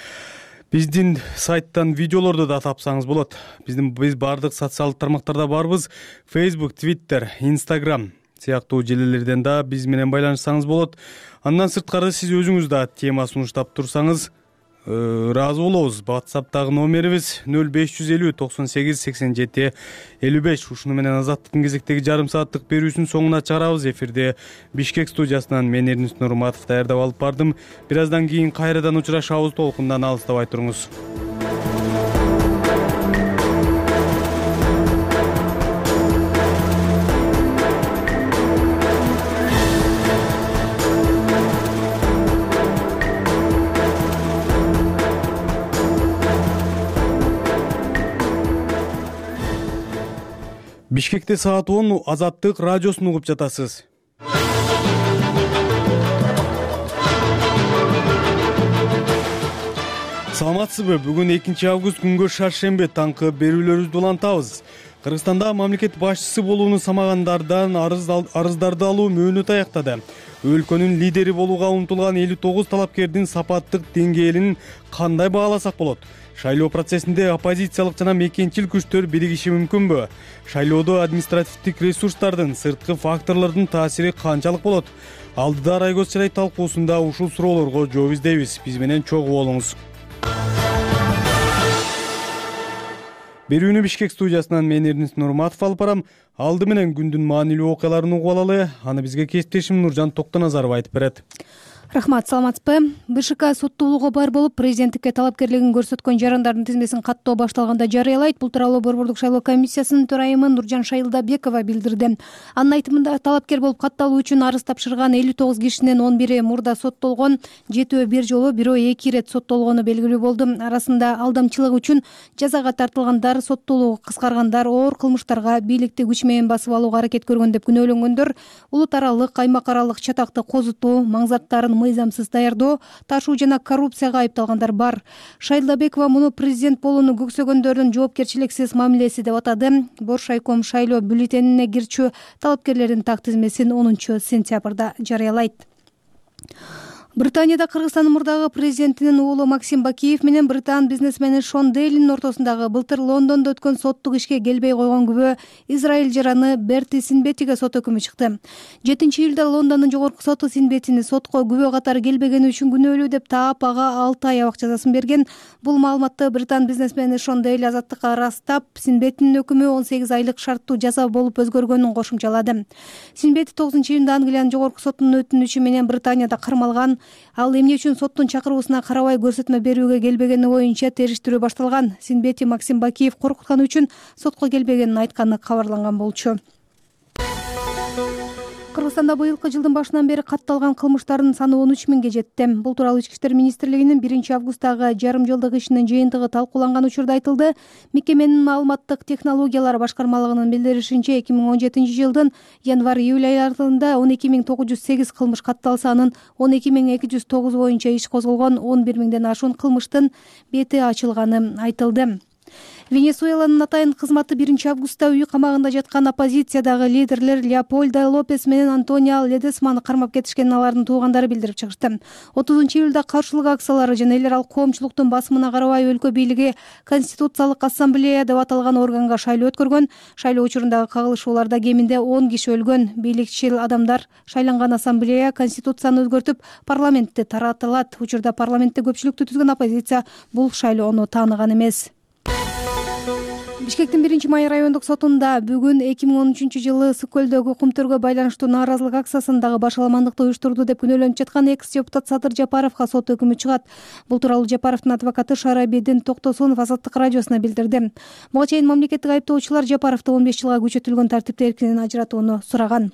Биздин сайттан видеолорду да тапсаңыз болот. Биз бардык социалдык тармактарда барбыз. Facebook, Twitter, Instagram сыяктуу желелерден да биз менен байланышсаңыз болот. Андан сырткары сиз өзүңүз да тема сунуштап турсаңыз, ыраазы болобуз. WhatsApp'тагы номерибиз 0550 98 87 55. Ушуну менен Азаттыктын кезектеги жарым сааттык берүүсүнүн соңуна чыгарабыз. Эфирде Бишкек студиясынан мен Эрнис Нурматов даярдап алып бардым. Бир аздан кийин кайрадан учурашабыз. Толкундан алыстабай туруңуз. Бишкекте саат 10 Азаттык радиосун угуп жатасыз. Саламатсызбы? Бүгүн 2 август күнгө шаршембе таңкы берүүлөрүбүздү улантабыз. Кыргызстанда мамлекет башчысы болууну самагандардан арыздарды алуу мөөнөтү аяктады. Өлкөнүн лидери болууга умтулган 59 талапкердин сапаттык деңгээлин кандай бааласак болот? Шайлоо процессинде оппозициялык жана мекенчил күчтөр биригиши мүмкүнбү? Шайлоодо административдик ресурстардын, сырткы факторлордун таасири канчалык болот? Алдыда Райгөз Чарай талкуусунда ушул суроолорго жооп издейбиз. Биз менен чогуу болуңуз. Берүүнү Бишкек студиясынан мен Эрнис Нурматов алып барам. Алды менен күндүн маанилүү окуяларын угуп алалы. Аны бизге кесиптешим Нуржан Токтоназаров айтып берет. Рахмат, саламатсызбы? БШК соттуулугу бар болуп, президенттикке талапкерлигин көрсөткөн жарандардын тизмесин каттоо башталганда жарыялайт. Бул тууралуу Борбордук шайлоо комиссиясынын төрайымы Нуржан Шайылдабекова билдирди. Анын айтымында талапкер болуп катталуу үчүн арыз тапшырган 59 кишинин 11-и мурда соттолгон, 7-өө бир жолу, бирөө 2 ирет соттолгону белгилүү болду. Арасында алдамчылык үчүн жазага тартылгандар, соттуулугу кыскаргандар, оор кылмыштарга бийликти күч менен басып алууга аракет көргөн деп күнөөлөнгөндөр, улут аралык, аймак аралык чатакты козутуу, маңзаттарын мыйзамсыз даярдоо, ташуу жана коррупцияга айыпталгандар бар. Шайылдабекова муну президент болууну көксөгөндөрдүн жоопкерчиликсиз мамилеси деп атады. Боршайком шайлоо бюллетенине кирчү талапкерлердин так тизмесин 10 сентябрда жарыялайт. Британияда Кыргызстандын мурдагы президентинин уулу Максим Бакиев менен британ бизнесмени Шон Дейлинин ортосундагы былтыр Лондондо өткөн соттук ишке келбей койгон күбө Израиль жараны Берти Синбетиге сот өкүмү чыкты. 7-июлда Лондондун жогорку соту Синбетини сотко күбө катары келбегени үчүн күнөөлүү деп таап, ага 6 ай абак жазасын берген. Бул маалыматты британ бизнесмени Шон Дейл Азаттыкка ырастап, Синбетинин өкүмү 18 айлык шарттуу жаза болуп өзгөргөнүн кошумчалады. Синбети 9-июнда Англиянын жогорку сотунун өтүнүчү менен Британияда кармалган. Ал эмне үчүн соттун чакыруусуна карабай көрсөтмө берүүгө келбегени боюнча териштирүү башталган. Синбети Максим Бакиев коркутканы үчүн сотко келбегенин айтканы кабарланган болчу. Кыргызстанда быйылкы жылдын башынан бери катталган кылмыштардын саны 13 миңге жетти. Бул тууралуу Ички иштер министрлигинин 1-августтагы жарым жылдык ишинин жыйынтыгы талкууланган учурда айтылды. Мекеменин маалыматтык технологиялар башкармалыгынын билдиришинче 2017 жылдын январь-июль айларында 12908 кылмыш катталса, анын 12209 боюнча иш козголгон, 11 миңден ашуун кылмыштын бети ачылганы айтылды. Венесуэланын атайын кызматы 1-августта үй камагында жаткан оппозициядагы лидерлер Леопольдо Лопес менен Антонио Ледесманы кармап кетишкенин алардын туугандары билдирип чыгышты. 30-июлда каршылык акциялары жана эл аралык коомчулуктун басымына карабай өлкө бийлиги Конституциялык ассамблея деп аталган органга шайлоо өткөргөн. Шайлоо учурундагы кагылышууларда кеминде 10 киши өлгөн. Бийликчил адамдар шайланган ассамблея Конституцияны өзгөртүп, парламентти таратылат. Учурда парламентте көпчүлүктү түзгөн оппозиция бул шайлоону тааныган эмес. Бишкектин 1-май райондук сотунда бүгүн 2013 жылы Ысык көлдөгү кумтөргө байланыштуу нааразылык акциясындагы башаламандыкты уюштурду деп күнөөлөнүп жаткан экс-депутат Садыр Жапаровго сот өкүмү чыгат. Бул тууралуу Жапаровдун адвокаты Шарабидин Токтосунов Азаттык радиосуна билдирди. Буга чейин мамлекеттик айыптоочулар Жапаровду 15 жылга күчөтүлгөн тартипте эркинен ажыратууну сураган.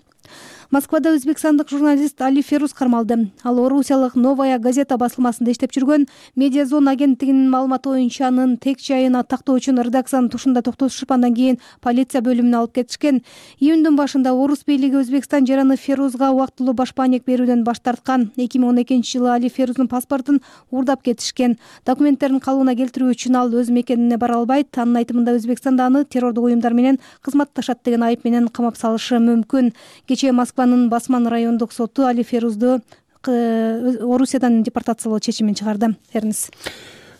Москвада өзбекстандык журналист Али Феруз кармалды. Ал орусиялык Новая газета басылмасында иштеп жүргөн. Медиазон агенттигинин маалыматы боюнча анын тек жайын тактоо үчүн редакциянын тушунда токтотушуп, андан кийин полиция бөлүмүнө алып кетишкен. Июндун башында орус бийлиги Өзбекстан жараны Ферузга убактылуу баш маанек берүүдөн баш тарткан. 2012 жылы Али Феруздун паспортун уурдап кетишкен. Документтерин калыбына келтирүү үчүн ал өз мекенине бара албайт. Анын айтымында Өзбекстанда аны террордук уюмдар менен кызматташат деген айып менен камап салышы мүмкүн. Кечээ Москванын Басман райондук соту Али Ферузду Орусиядан депортациялоо чечимин чыгарды. Эрнис.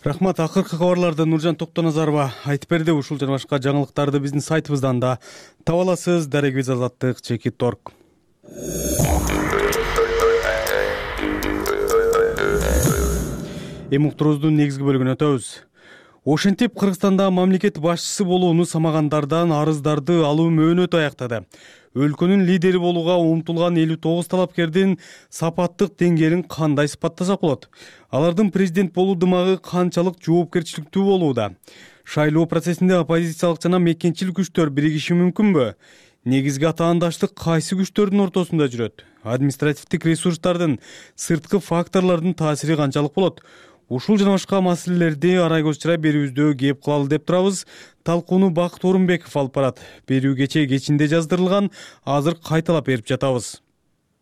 Рахмат. Акыркы кабарларды Нуржан Токтоназарова айтып берди. Ушул жана башка жаңылыктарды биздин сайтыбыздан да таба аласыз. Дарегибиз Азаттык.org. эми уктуруубуздун негизги бөлүгүнө өтөбүз. Ошентип Кыргызстанда мамлекет башчысы болууну самагандардан арыздарды алуу мөөнөтү аяктады. Өлкөнүн лидери болууга умтулган 59 талапкердин сапаттык деңгээлин кандай сыпаттасак болот? Алардын президент болуу дымагы канчалык жоопкерчиликтүү болууда? Шайлоо процессинде оппозициялык жана мекенчил күчтөр биригиши мүмкүнбү? Негизги атаандаштык кайсы күчтөрдүн ортосунда жүрөт? Административдик ресурстардын, сырткы факторлордун таасири канчалык болот? Ушул жана башка маселелерди арай көз чырай берүүбүздө кеп кылалы деп турабыз. Талкууну Бакыт Орунбеков алып барат. Берүү кечээ кечинде жаздырылган, азыр кайталап берип жатабыз.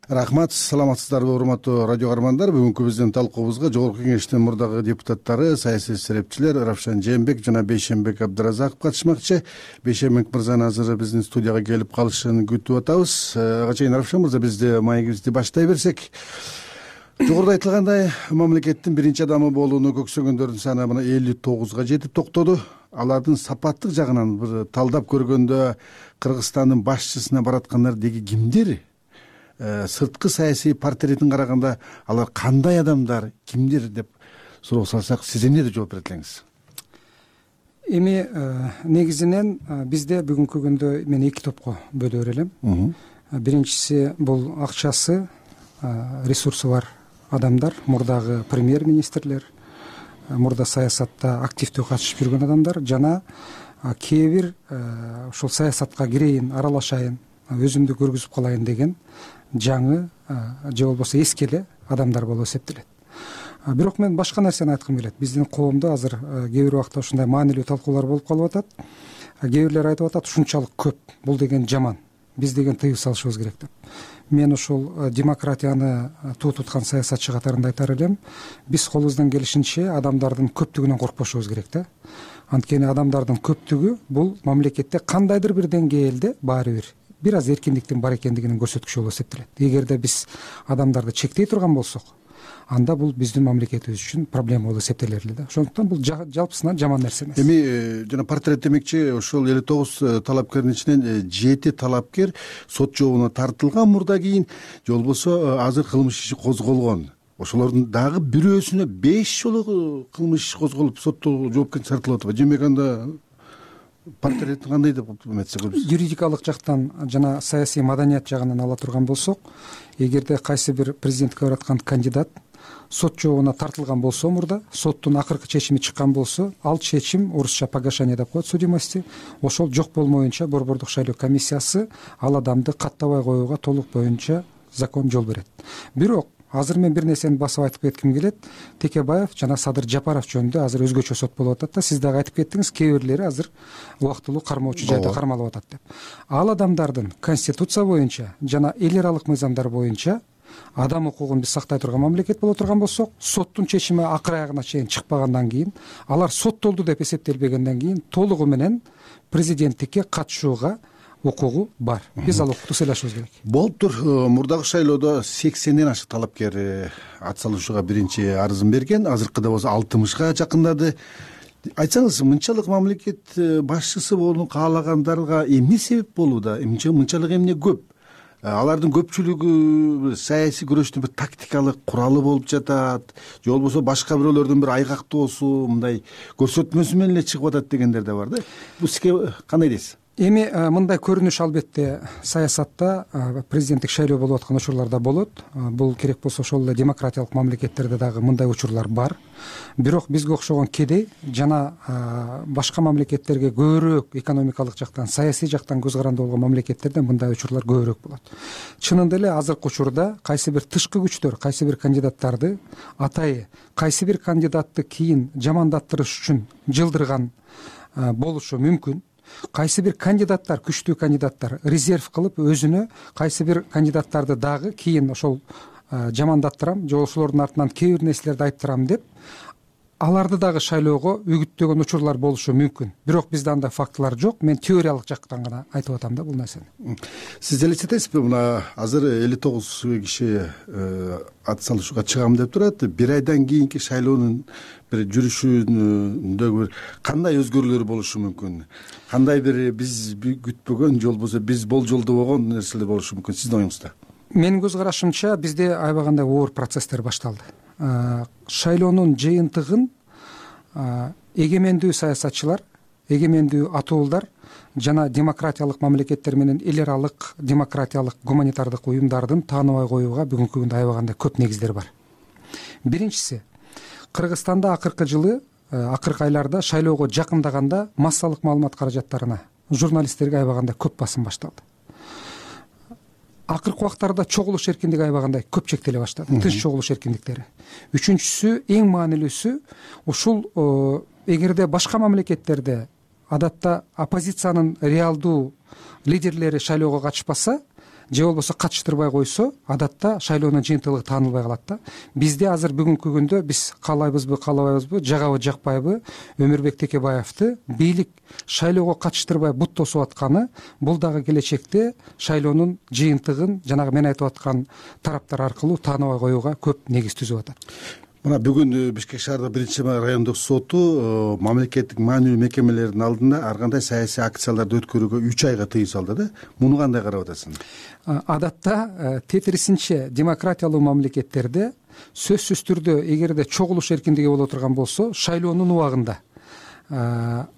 Рахмат, саламатсыздарбы урматтуу радио каармандар. Бүгүнкү биздин талкуубузга Жогорку Кеңештин мурдагы депутаттары, саясий серепчилер Равшан Жээнбек жана Бейшенбек Абдыразаков катышмакчы. Бейшенбек мырзаны азыр биздин студияга келип калышын күтүп атабыз. Ага чейин Равшан мырза, бизди маегибизди баштай берсек. Жогоруда айтылгандай, мамлекеттин биринчи адамы болууну көксөгөндөрдүн саны мына 59га жетип токтоду. Алардын сапаттык жагынан бир талдап көргөндө Кыргызстандын башчысына бараткандар деги кимдер? Сырткы саясий портретин караганда алар кандай адамдар, кимдер деп суроо салсак, сиз эмне деп жооп берет элеңиз? Эми негизинен бизде бүгүнкү күндө мен эки топко бөлө берелим. Биринчиси бул акчасы, ресурсу бар адамдар, мурдагы премьер-министрлер, мурда саясатта активдүү катышып жүргөн адамдар жана кээ бир ушул саясатка кирейин, аралашайын, өзүмдү көргүзүп калайын деген жаңы же болбосо эски эле адамдар болуп эсептелет. Бирок мен башка нерсени айткым келет. Биздин коомдо азыр кээ бир убакта ушундай маанилүү талкуулар болуп калып атат. Кээ бирлер айтып атат, ушунчалык көп, бул деген жаман, биз деген тыюу салышыбыз керек деп. Мен ушул демократияны туу туткан саясатчы катарында айтар элем, биз колубуздан келишинче адамдардын көптүгүнөн коркпошубуз керек да. Анткени адамдардын көптүгү бул мамлекетте кандайдыр бир деңгээлде баары бир аз эркиндиктин бар экендигинин көрсөткүчү болуп эсептелет. Эгерде биз адамдарды чектей турган болсок, анда бул биздин мамлекетибиз үчүн проблема болуп эсептелер эле да. Ошондуктан бул жалпысынан жаман нерсе эмес. Эми жана портрет демекчи, ошол 59 талапкердин ичинен 7 талапкер сот жообуна тартылган мурда кийин, же болбосо азыр кылмыш иши козголгон. Ошолордун дагы бирөөсүнө 5 жолу кылмыш иши козголуп соттоо жоопкерчиликке тартылып атат. Демек анда портреттин кандай деп эметсек болот? Юридикалык жактан жана саясий маданият жагынан ала турган болсок, эгерде кайсы бир президентке бараткан кандидат сот жообуна тартылган болсо, мурда соттун акыркы чечими чыккан болсо, ал чечим орусча погашение деп коет судимости, ошол жок болмоюнча Борбордук шайлоо комиссиясы ал адамды каттабай коюуга толук боюнча закон жол берет. Бирок азыр мен бир нерсени басып айтып кетким келет. Текебаев жана Садыр Жапаров жөнүндө азыр өзгөчө сот болуп атат да. Сиз дагы айтып кеттиңиз, кээ бирлери азыр убактылуу кармоочу жайда кармалып атат деп. Ал адамдардын конституция боюнча жана эл аралык мыйзамдар боюнча адам укугун биз сактай турган мамлекет боло турган болсок, соттун чечими акыр аягына чейин чыкпагандан кийин, алар соттолду деп эсептелбегенден кийин толугу менен президенттикке катышууга укугу бар. Биз ал укукту сыйлашыбыз керек. Болуптур. Мурдагы шайлоодо 80ден ашык талапкер ат салышууга биринчи арызын берген. Азыркыда болсо 60га жакындады. Айтсаңыз, мынчалык мамлекет башчысы болууну каалагандарга эмне себеп болууда? Мынчалык эмне көп? Алардын көпчүлүгү саясий күрөштүн бир тактикалык куралы болуп жатат, же болбосо башка бирөөлөрдүн бир айгактоосу, мындай көрсөтмөсү менен эле чыгып атат дегендер да бар да. Бул сизге кандай дейсиз? Эми мындай көрүнүш албетте саясатта президенттик шайлоо болуп аткан учурларда болот. Бул керек болсо ошол эле демократиялык мамлекеттерде дагы мындай учурлар бар. Бирок бизге окшогон кедей жана башка мамлекеттерге көбүрөөк экономикалык жактан, саясий жактан көз каранды болгон мамлекеттерде мындай учурлар көбүрөөк болот. Чынында эле азыркы учурда кайсы бир тышкы күчтөр, кайсы бир кандидаттарды атайы кайсы бир кандидатты кийин жамандаттырыш үчүн жылдырган болушу мүмкүн. Кайсы бир кандидаттар, күчтүү кандидаттар резерв кылып өзүнө кайсы бир кандидаттарды дагы кийин ошол жамандаттырам, же ошолордун артынан кээ бир нерселерди айттырам деп аларды дагы шайлоого үгүттөгөн учурлар болушу мүмкүн. Бирок бизде андай фактылар жок. Мен теориялык жактан гана айтып атам да бул нерсени. Сиз элестетесизби, мына азыр 59 киши ат салышууга чыгам деп турат. Бир айдан кийинки шайлоонун бир жүрүшүндөгү бир кандай өзгөрүүлөр болушу мүмкүн? Кандай бир биз күтпөгөн, же болбосо биз болжолдобогон нерселер болушу мүмкүн? Сиздин оюңузда? Менин көз карашымча бизде аябагандай оор процесстер башталды. шайлоонун жыйынтыгын эгемендүү саясатчылар, эгемендүү атуулдар жана демократиялык мамлекеттер менен эл аралык демократиялык гуманитардык уюмдардын тааныбай коюуга бүгүнкү күндө аябаганда көп негиздер бар. Биринчиси, Кыргызстанда акыркы айларда шайлоого жакындаганда массалык маалымат каражаттарына, журналисттерге аябаганда көп басым башталды. Акыркы убактарда чогулуш эркиндиги аябагандай көп чектеле баштады, тынч чогулуш эркиндиктери. Үчүнчүсү, эң маанилүүсү, ушул эгерде башка мамлекеттерде адатта оппозициянын реалдуу лидерлери шайлоого катышпаса же болбосо катыштырбай койсо, адатта шайлоонун жыйынтыгы таанылбай калат да. Бизде азыр бүгүнкү күндө биз каалайбызбы, каалабайбызбы, жагабы, жакпайбы, Өмүрбек Текебаевди бийлик шайлоого катыштырбай бут тосуп атканы бул дагы келечекте шайлоонун жыйынтыгын жанагы мен айтып аткан тараптар аркылуу тааныбай коюуга көп негиз түзүп атат. Мына бүгүн Бишкек шаардык 1-райондук соту мамлекеттик маанилүү мекемелердин алдында ар кандай саясий акцияларды өткөрүүгө 3 айга тыюу салды да. Муну кандай карап атасың? Адатта тетирисинче демократиялуу мамлекеттерде сөзсүз түрдө эгерде чогулуш эркиндиги боло турган болсо, шайлоонун убагында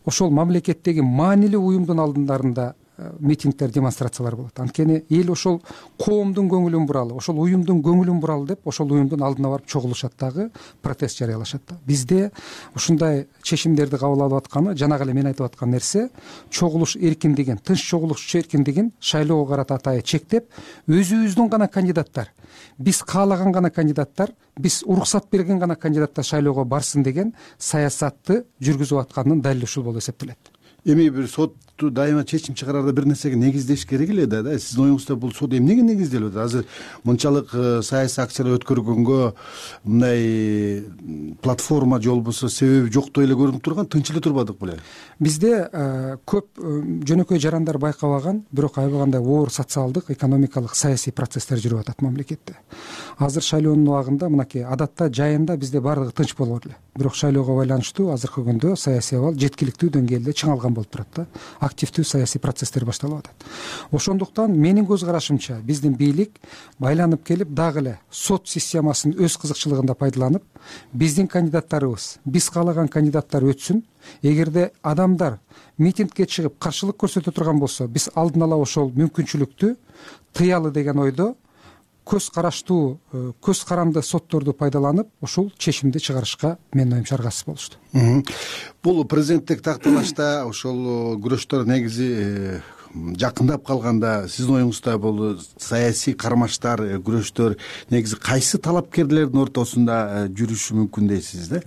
ошол мамлекеттеги маанилүү уюмдун алдындарында митингдер, демонстрациялар болот. Анткени эл ошол коомдун көңүлүн буралы, ошол уюмдун көңүлүн буралы деп ошол уюмдун алдына барып чогулушат дагы, протест жарыялашат да. Бизде ушундай чечимдерди кабыл алып атканы, жанагы эле мен айтып аткан нерсе, чогулуш эркиндигин, тынч чогулуш эркиндигин шайлоого карата атайы чектеп, өзүбүздүн гана кандидаттар, биз каалаган гана кандидаттар, биз уруксат берген гана кандидаттар шайлоого барсын деген саясатты жүргүзүп атканынын далили ушул болуп эсептелет. Эми бир сотту дайыма чечим чыгарарда бир нерсеге негиздеш керек эле да. Сиздин оюңузда бул сот эмнеге негизделип атат? Азыр мынчалык саясий акциялар өткөргөнгө мындай платформа же болбосо себеби жоктой эле көрүнүп турган, тынч эле турбадык беле? Бизде көп жөнөкөй жарандар байкабаган, бирок аябагандай оор социалдык, экономикалык, саясий процесстер жүрүп атат мамлекетте. Азыр шайлоонун убагында мынакей адатта жайында бизде баардыгы тынч болот эле. Бирок шайлоого байланыштуу азыркы күндө саясий абал жеткиликтүү деңгээлде чыңалган болуп турат да. Активдүү саясий процесстер башталып атат. Ошондуктан менин көз карашымча биздин бийлик байланып келип дагы эле сот системасын өз кызыкчылыгында пайдаланып, биздин кандидаттарыбыз, биз каалаган кандидаттар өтсүн. Эгерде адамдар митингге чыгып каршылык көрсөтө турган болсо, биз алдын ала ошол мүмкүнчүлүктү тыялы деген ойдо көз караштуу, көз каранды сотторду пайдаланып ушул чечимди чыгарышка менин оюмча аргасыз болушту. Бул президенттик такталашта ошол күрөштөр негизи жакындап калганда сиздин оюңузда бул саясий кармаштар, күрөштөр негизи кайсы талапкерлердин ортосунда жүрүшү мүмкүн дейсиз да?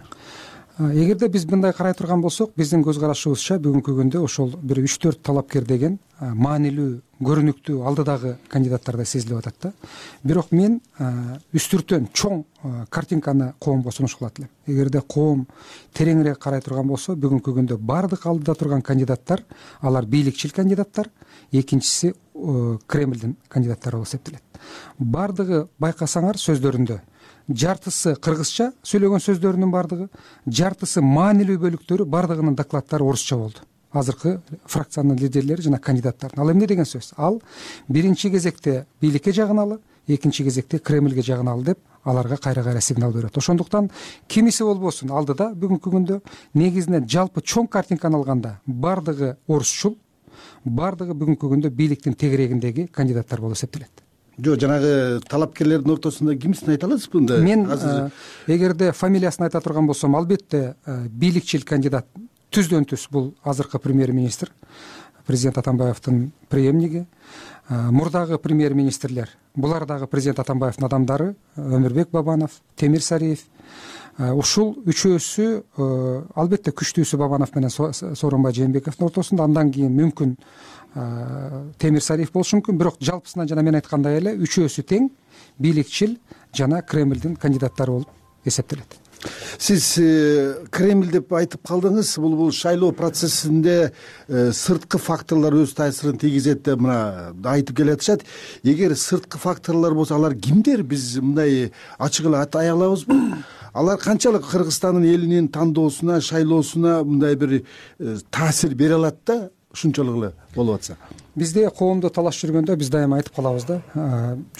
Эгерде биз мындай карай турган болсок, биздин көз карашыбызча бүгүнкү күндө ошол бир 3-4 талапкер деген маанилүү, көрүнүктүү алдыдагы кандидаттарда сезилип атат да. Бирок мен үстүртөн чоң картинканы коомго сунуш кылат элем. Эгерде коом тереңирээк карай турган болсо, бүгүнкү күндө бардык алдыда турган кандидаттар, алар бийликчил кандидаттар, экинчиси Кремлдин кандидаттары болуп эсептелет. Бардыгы байкасаңар сөздөрүндө жартысы кыргызча сүйлөгөн сөздөрүнүн бардыгы, жартысы маанилүү бөлүктөрү бардыгынын докладдары орусча болду. Азыркы фракциянын лидерлери жана кандидаттар. Ал эмне деген сөз? Ал биринчи кезекте бийликке жагыналы, экинчи кезекте Кремлге жагыналы деп аларга кайра-кайра сигнал берет. Ошондуктан кимиси болбосун алдыда бүгүнкү күндө негизинен жалпы чоң картинканы алганда бардыгы орусчул, бардыгы бүгүнкү күндө бийликтин тегерегиндеги кандидаттар болуп эсептелет. Жок, жанагы талапкерлердин ортосунда кимсин айта аласызбы? Мен эгерде фамилиясын айта турган болсом, албетте бийликчил кандидат түздөн түз бул азыркы премьер-министр, президент Атамбаевдин преемниги, мурдагы премьер-министрлер, булар дагы президент Атамбаевдин адамдары, Өмүрбек Бабанов, Темир Сариев. Ушул үчөөсү албетте күчтүүсү Бабанов менен Сооронбай Жээнбековдун ортосунда, андан кийин мүмкүн Темир Сариев болушу мүмкүн, бирок жалпысынан жана мен айткандай эле үчөөсү тең бийликчил жана Кремлдин кандидаттары болуп эсептелет. Сиз Кремль деп айтып калдыңыз. Бул шайлоо процессинде сырткы факторлор өз таасирин тийгизет деп мына айтып келатышат. Эгер сырткы факторлор болсо, алар кимдер? Биз мындай ачык эле атай алабызбы? Алар канчалык Кыргызстандын элинин тандоосуна, шайлоосуна мындай бир таасир бере алат да? ушунчолук эле болуп атса? Бизде коомдо талаш жүргөндө биз дайыма айтып калабыз да,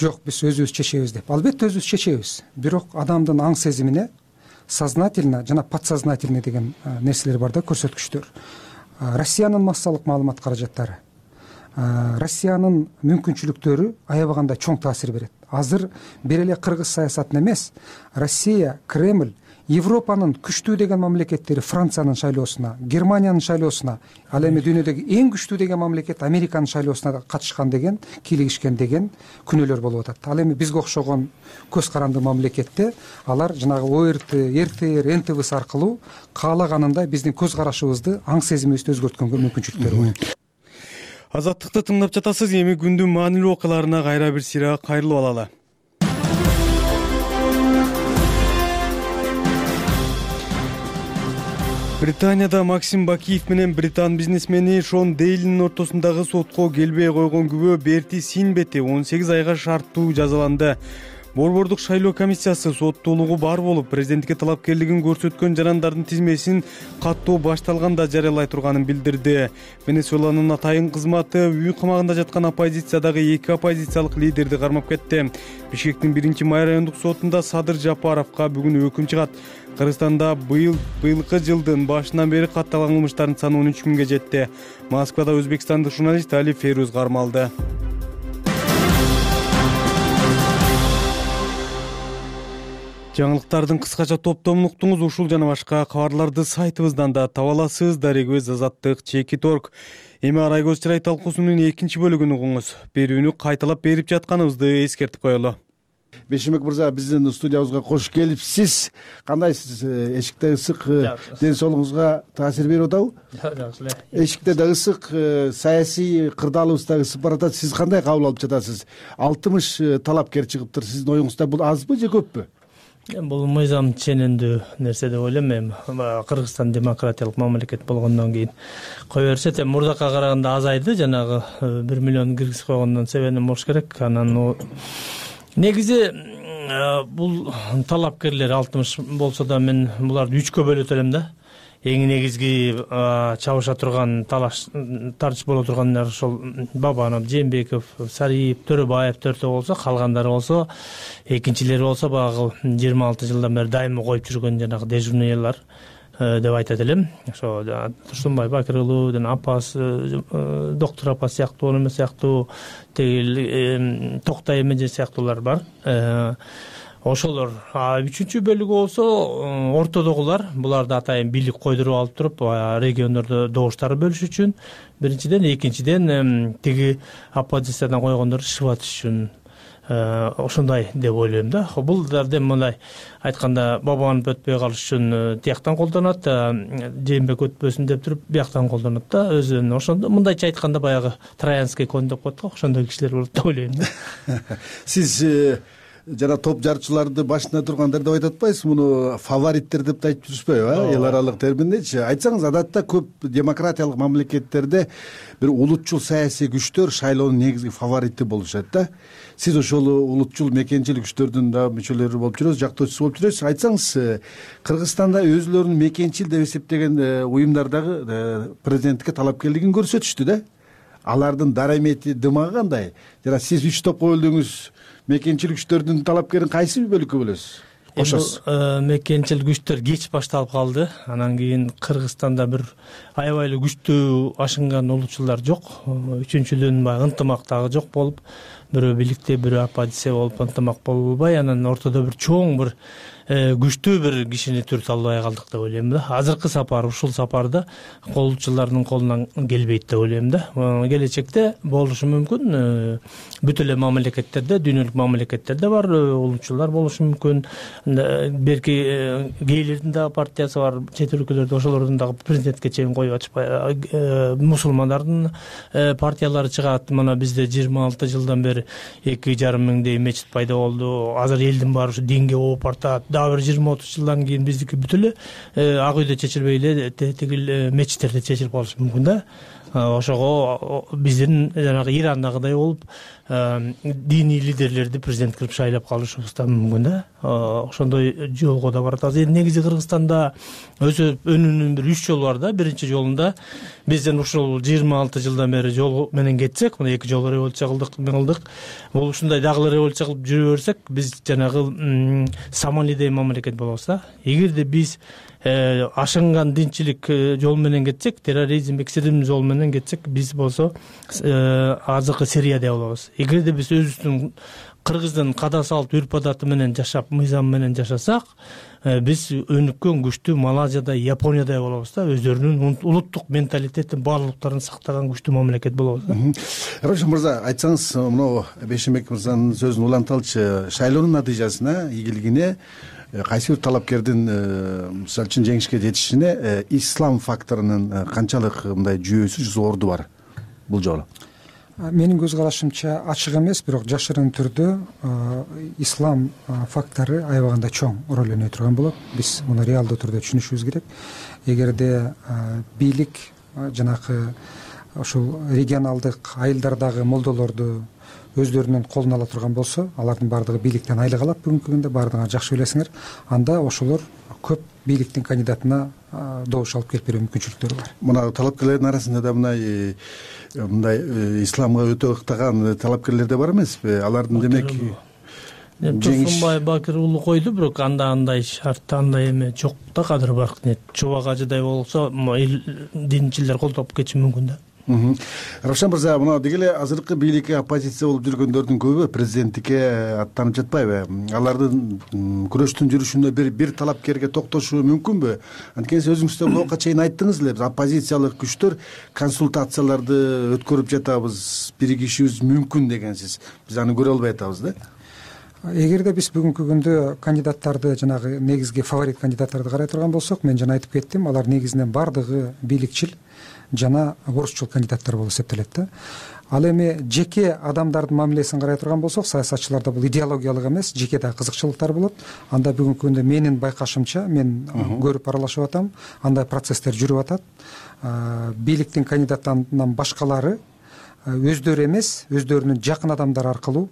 жок биз өзүбүз чечебиз деп. Албетте өзүбүз чечебиз, бирок адамдын аң сезимине сознательно жана подсознательный деген нерселер бар да, көрсөткүчтөр. Россиянын массалык маалымат каражаттары, Россиянын мүмкүнчүлүктөрү аябаганда чоң таасир берет. Азыр бир эле кыргыз саясатына эмес, Россия, Кремль, Европанын күчтүү деген мамлекеттери Франциянын шайлоосуна, Германиянын шайлоосуна, ал эми дүйнөдөгү эң күчтүү деген мамлекет Американын шайлоосуна катышкан деген, кийлигишкен деген күнөөлөр болуп атат. Ал эми бизге окшогон көз каранды мамлекетте алар жанагы ОРТ, РТР, НТВ аркылуу каалаганында биздин көз карашыбызды, аң сезимибизди өзгөрткөнгө мүмкүнчүлүктөрү бар. Азаттыкты тыңдап жатасыз. Эми күндүн маанилүү окуяларына кайра бир сыйра кайрылып алалы. Британияда Максим Бакиев менен британ бизнесмени Шон Дейлинин ортосундагы сотко келбей койгон күбө Берти Синбети 18 айга шарттуу жазаланды. Борбордук шайлоо комиссиясы соттуулугу бар болуп, президентке талапкерлигин көрсөткөн жарандардын тизмесин каттоо башталганда жарыялай турганын билдирди. Венесуэланын атайын кызматы үй камагында жаткан оппозициядагы 2 оппозициялык лидерди кармап кетти. Бишкектин 1-май райондук сотунда Садыр Жапаровго бүгүн өкүм чыгат. Кыргызстанда быйылкы жылдын башынан бери катталган кылмыштардын саны 13 миңге жетти. Москвада өзбекстандык журналист Али Фейруз кармалды. Жаңылыктардын кыскача топтомун уктуңуз. Ушул жана башка кабарларды сайтыбыздан да таба аласыз. Дарегөз Азаттык ЧЕКИТ.орг. Эми Арай көз чырай талкуусунун 2 бөлүгүн угуңуз. Берүүнү кайталап берип жатканыбызды эскертип коелу. Бейшенбек мырза, биздин студиябызга кош келипсиз. Кандайсыз? Эшикте ысык, ден соолугуңузга таасир берип атабы? Жакшы эле. Эшикте да ысык, саясий кырдаалыбыз дагы ысып баратат. Сиз кандай кабыл алып жатасыз? 60 талапкер чыгыптыр. Сиздин оюңузда бул азбы же көппү? Бул мыйзам ченемдүү нерсе деп ойлойм. Эми Кыргызстан демократиялык мамлекет болгондон кийин кое берсет, мурдакка караганда азайды. Жанагы 1 миллион киргизип койгондон себебинен болуш керек. Анан негизи бул талапкерлер 60 болсо да мен буларды 3кө бөлөт элем да. Эң негизги чабыша турган тартыш боло тургандар ошол Бабанов, Жээнбеков, Сариев, Төрөбаев 4 болсо, калгандары болсо, экинчилери болсо баягы 26 жылдан бери дайыма коюп жүргөн жанагы дежурныйлар деп айтат элем. Ошо Турсунбай Бакырылуу, Апас, доктор Апас сыяктуу, эме сыяктуу, тегил Токтай Эмеже сыяктуулар бар. Ошолор 3 бөлүгү болсо ортодогулар, буларды атайын бийлик койдуруп алып туруп, региондордо добуштарды бөлүш үчүн, биринчиден, экинчиден тиги оппозициядан койгондорду шыбатыш үчүн ошондой деп ойлойм да. Бул дардем мындай айтканда Бабанов өтпөй калыш үчүн тияктан колдонот, Жээнбек өтпөсүн деп туруп бияктан колдонот да. Өзүнүн ошондо мындайча айтканда баягы Троянский конь деп коет го, ошондой кишилер болот деп ойлойм да. Сиз жана топ жарчыларды башында тургандар деп айтып атпайсыз, муну фавориттер деп да айтып жүрүшпөйбү, эл аралык терминдечи? Айтсаңыз, адатта көп демократиялык мамлекеттерде бир улутчул саясий күчтөр шайлоонун негизги фаворити болушат да. Сиз ошол улутчул мекенчил күчтөрдүн да мүчөлөрү болуп жүрөсүз, жактоочусу болуп жүрөсүз. Айтсаңыз, Кыргызстанда өзүлөрүн мекенчил деп эсептеген уюмдар дагы президенттикке талапкерлигин көрсөтүштү да. Алардын дарамети дымагы кандай? Жана сиз 3 топко бөлдүңүз. Мекенчил күчтөрдүн талапкерин кайсы бөлүккө бөлөсүз? Кошосуз. Мекенчил күчтөр кеч башталып калды. Анан кийин Кыргызстанда бир аябай эле күчтүү ашынган улутчулдар жок. Үчүнчүдөн баягы ынтымак дагы жок болуп, бирөө бийликте, бирөө оппозиция болуп ынтымак боло албай, анан ортодо бир чоң бир күчтүү бир кишини түртө албай калдык деп ойлойм да. Азыркы сапар, ушул сапарда колчулардын колунан келбейт деп ойлойм да. Келечекте болушу мүмкүн. Бүт эле мамлекеттерде, дүйнөлүк мамлекеттерде бар улутчулар болушу мүмкүн. Берки гейлердин дагы партиясы бар, чет өлкөлөрдө ошолордун дагы президентке чейин коюп атышпай, мусулмандардын партиялары чыгат. Мына бизде 26 жылдан бери 2,5 миңдей мечит пайда болду. Азыр элдин баары ушу динге ооп бартат. Дагы бир 20-30 жылдан кийин биздики бүт эле ак үйдө чечилбей эле тигил мечиттерде чечилип калышы мүмкүн да. ошого биздин жанагы Ирандагыдай болуп диний лидерлерди президент кылып шайлап калышыбыз да мүмкүн да, ошондой жолго да баратабыз. Эми негизи Кыргызстанда өзү өнүүнүн бир 3 жолу бар да. Биринчи жолунда бизден ушул 26 жылдан бери жол менен кетсек, мына 2 жолу революция кылдык. Бул ушундай дагы революция кылып жүрө берсек, биз жанагы Сомалидей мамлекет болобуз да. Эгерде биз ашынган динчилик жол менен кетсек, терроризм, экстремизм жол менен кетсек, биз болсо азыркы Сирияда болобуз. Эгерде биз өзүбүздүн Кыргыздын када салт үрп адаты менен жашап, мыйзам менен жашасак, биз өнүккөн күчтүү Малайзияда, Япониядай болобуз да. Өздөрүнүн улуттук менталитетин баардыктарын сактаган күчтүү мамлекет болобуз да. Равшан мырза, айтсаңыз, мына Бейшенбек мырзанын сөзүн уланталычы, шайлоонун натыйжасына ийгилигине кайсы бир талапкердин мисалы үчүн жеңишке жетишине ислам факторунун канчалык мындай жүйөсү зорду бар бул жолу? Менин көз карашымча ачык эмес, бирок жашырын түрдө ислам фактору аябаганда чоң роль өнөй турган болот. Биз муну реалдуу түрдө түшүнүшүбүз керек. Эгерде бийлик жанагы ушул регионалдык айылдардагы молдолорду өздөрүнүн колуна ала турган болсо, алардын баардыгы бийликтен айлык алат бүгүнкү күндө, баардыгыңар жакшы билесиңер. Анда ошолор көп бийликтин кандидатына добуш алып келип берүү мүмкүнчүлүктөрү бар. Мына талапкерлердин арасында да мындай исламга өтө ыктаган талапкерлер да бар эмеспи? Алардын демек Турсунбай Бакир уулу койду, бирок андай шарт, андай эме жок да. Кадыр Баркынет Чубак ажыдай болсо, динчилер колдоп кетиши мүмкүн да. Равшан мырза, мына деги эле азыркы бийликке оппозиция болуп жүргөндөрдүн көбү президенттикке аттанып жатпайбы? Алардын күрөштүн жүрүшүндө бир талапкерге токтошуу мүмкүнбү? Анткени өзүңүз да буга чейин айттыңыз эле, биз оппозициялык күчтөр консультацияларды өткөрүп жатабыз, биригишибиз мүмкүн дегенсиз. Биз аны көрө албай атабыз да. Эгерде биз бүгүнкү күндө кандидаттарды, жанагы негизги фаворит кандидаттарды карай турган болсок, мен жана айтып кеттим, алар негизинен баардыгы бийликчил жана орусчул кандидаттар болуп эсептелет да. Ал эми жеке адамдардын мамилесин карай турган болсок, саясатчыларда бул идеологиялык эмес, жеке да кызыкчылыктар болот. Анда бүгүнкү күндө менин байкашымча, мен көрүп аралашып атам, андай процесстер жүрүп атат. Бийликтин кандидаттарынан башкалары өздөрү эмес, өздөрүнүн жакын адамдары аркылуу,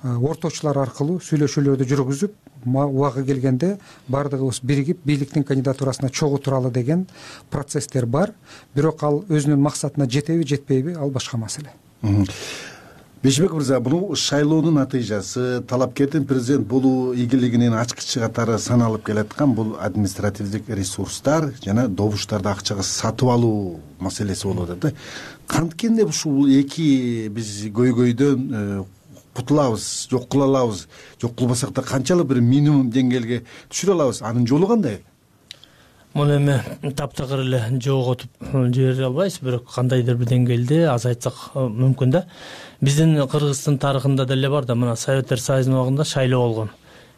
орточулар аркылуу сүйлөшүүлөрдү жүргүзүп, убагы келгенде баардыгыбыз биригип бийликтин кандидатурасына чогуу туралы деген процесстер бар. Бирок ал өзүнүн максатына жетеби, жетпейби, ал башка маселе. Бейшенбек мырза, бул шайлоонун натыйжасы, талапкердин президент болуу ийгилигинин ачкычы катары саналып келаткан бул административдик ресурстар жана добуштарды акчага сатып алуу маселеси болуп атат да. Канткенде ушул эки биз көйгөйдөн кутулабыз, жок кыла алабыз, жок кылбасак да канчалык бир минимум деңгээлге түшүрө алабыз? Анын жолу кандай? Муну эми таптакыр эле жоготуп жибере албайбыз, бирок кандайдыр бир деңгээлде азайтсак мүмкүн да. Биздин Кыргыздын тарыхында деле бар да, мына Советтер Союзунун убагында шайлоо болгон.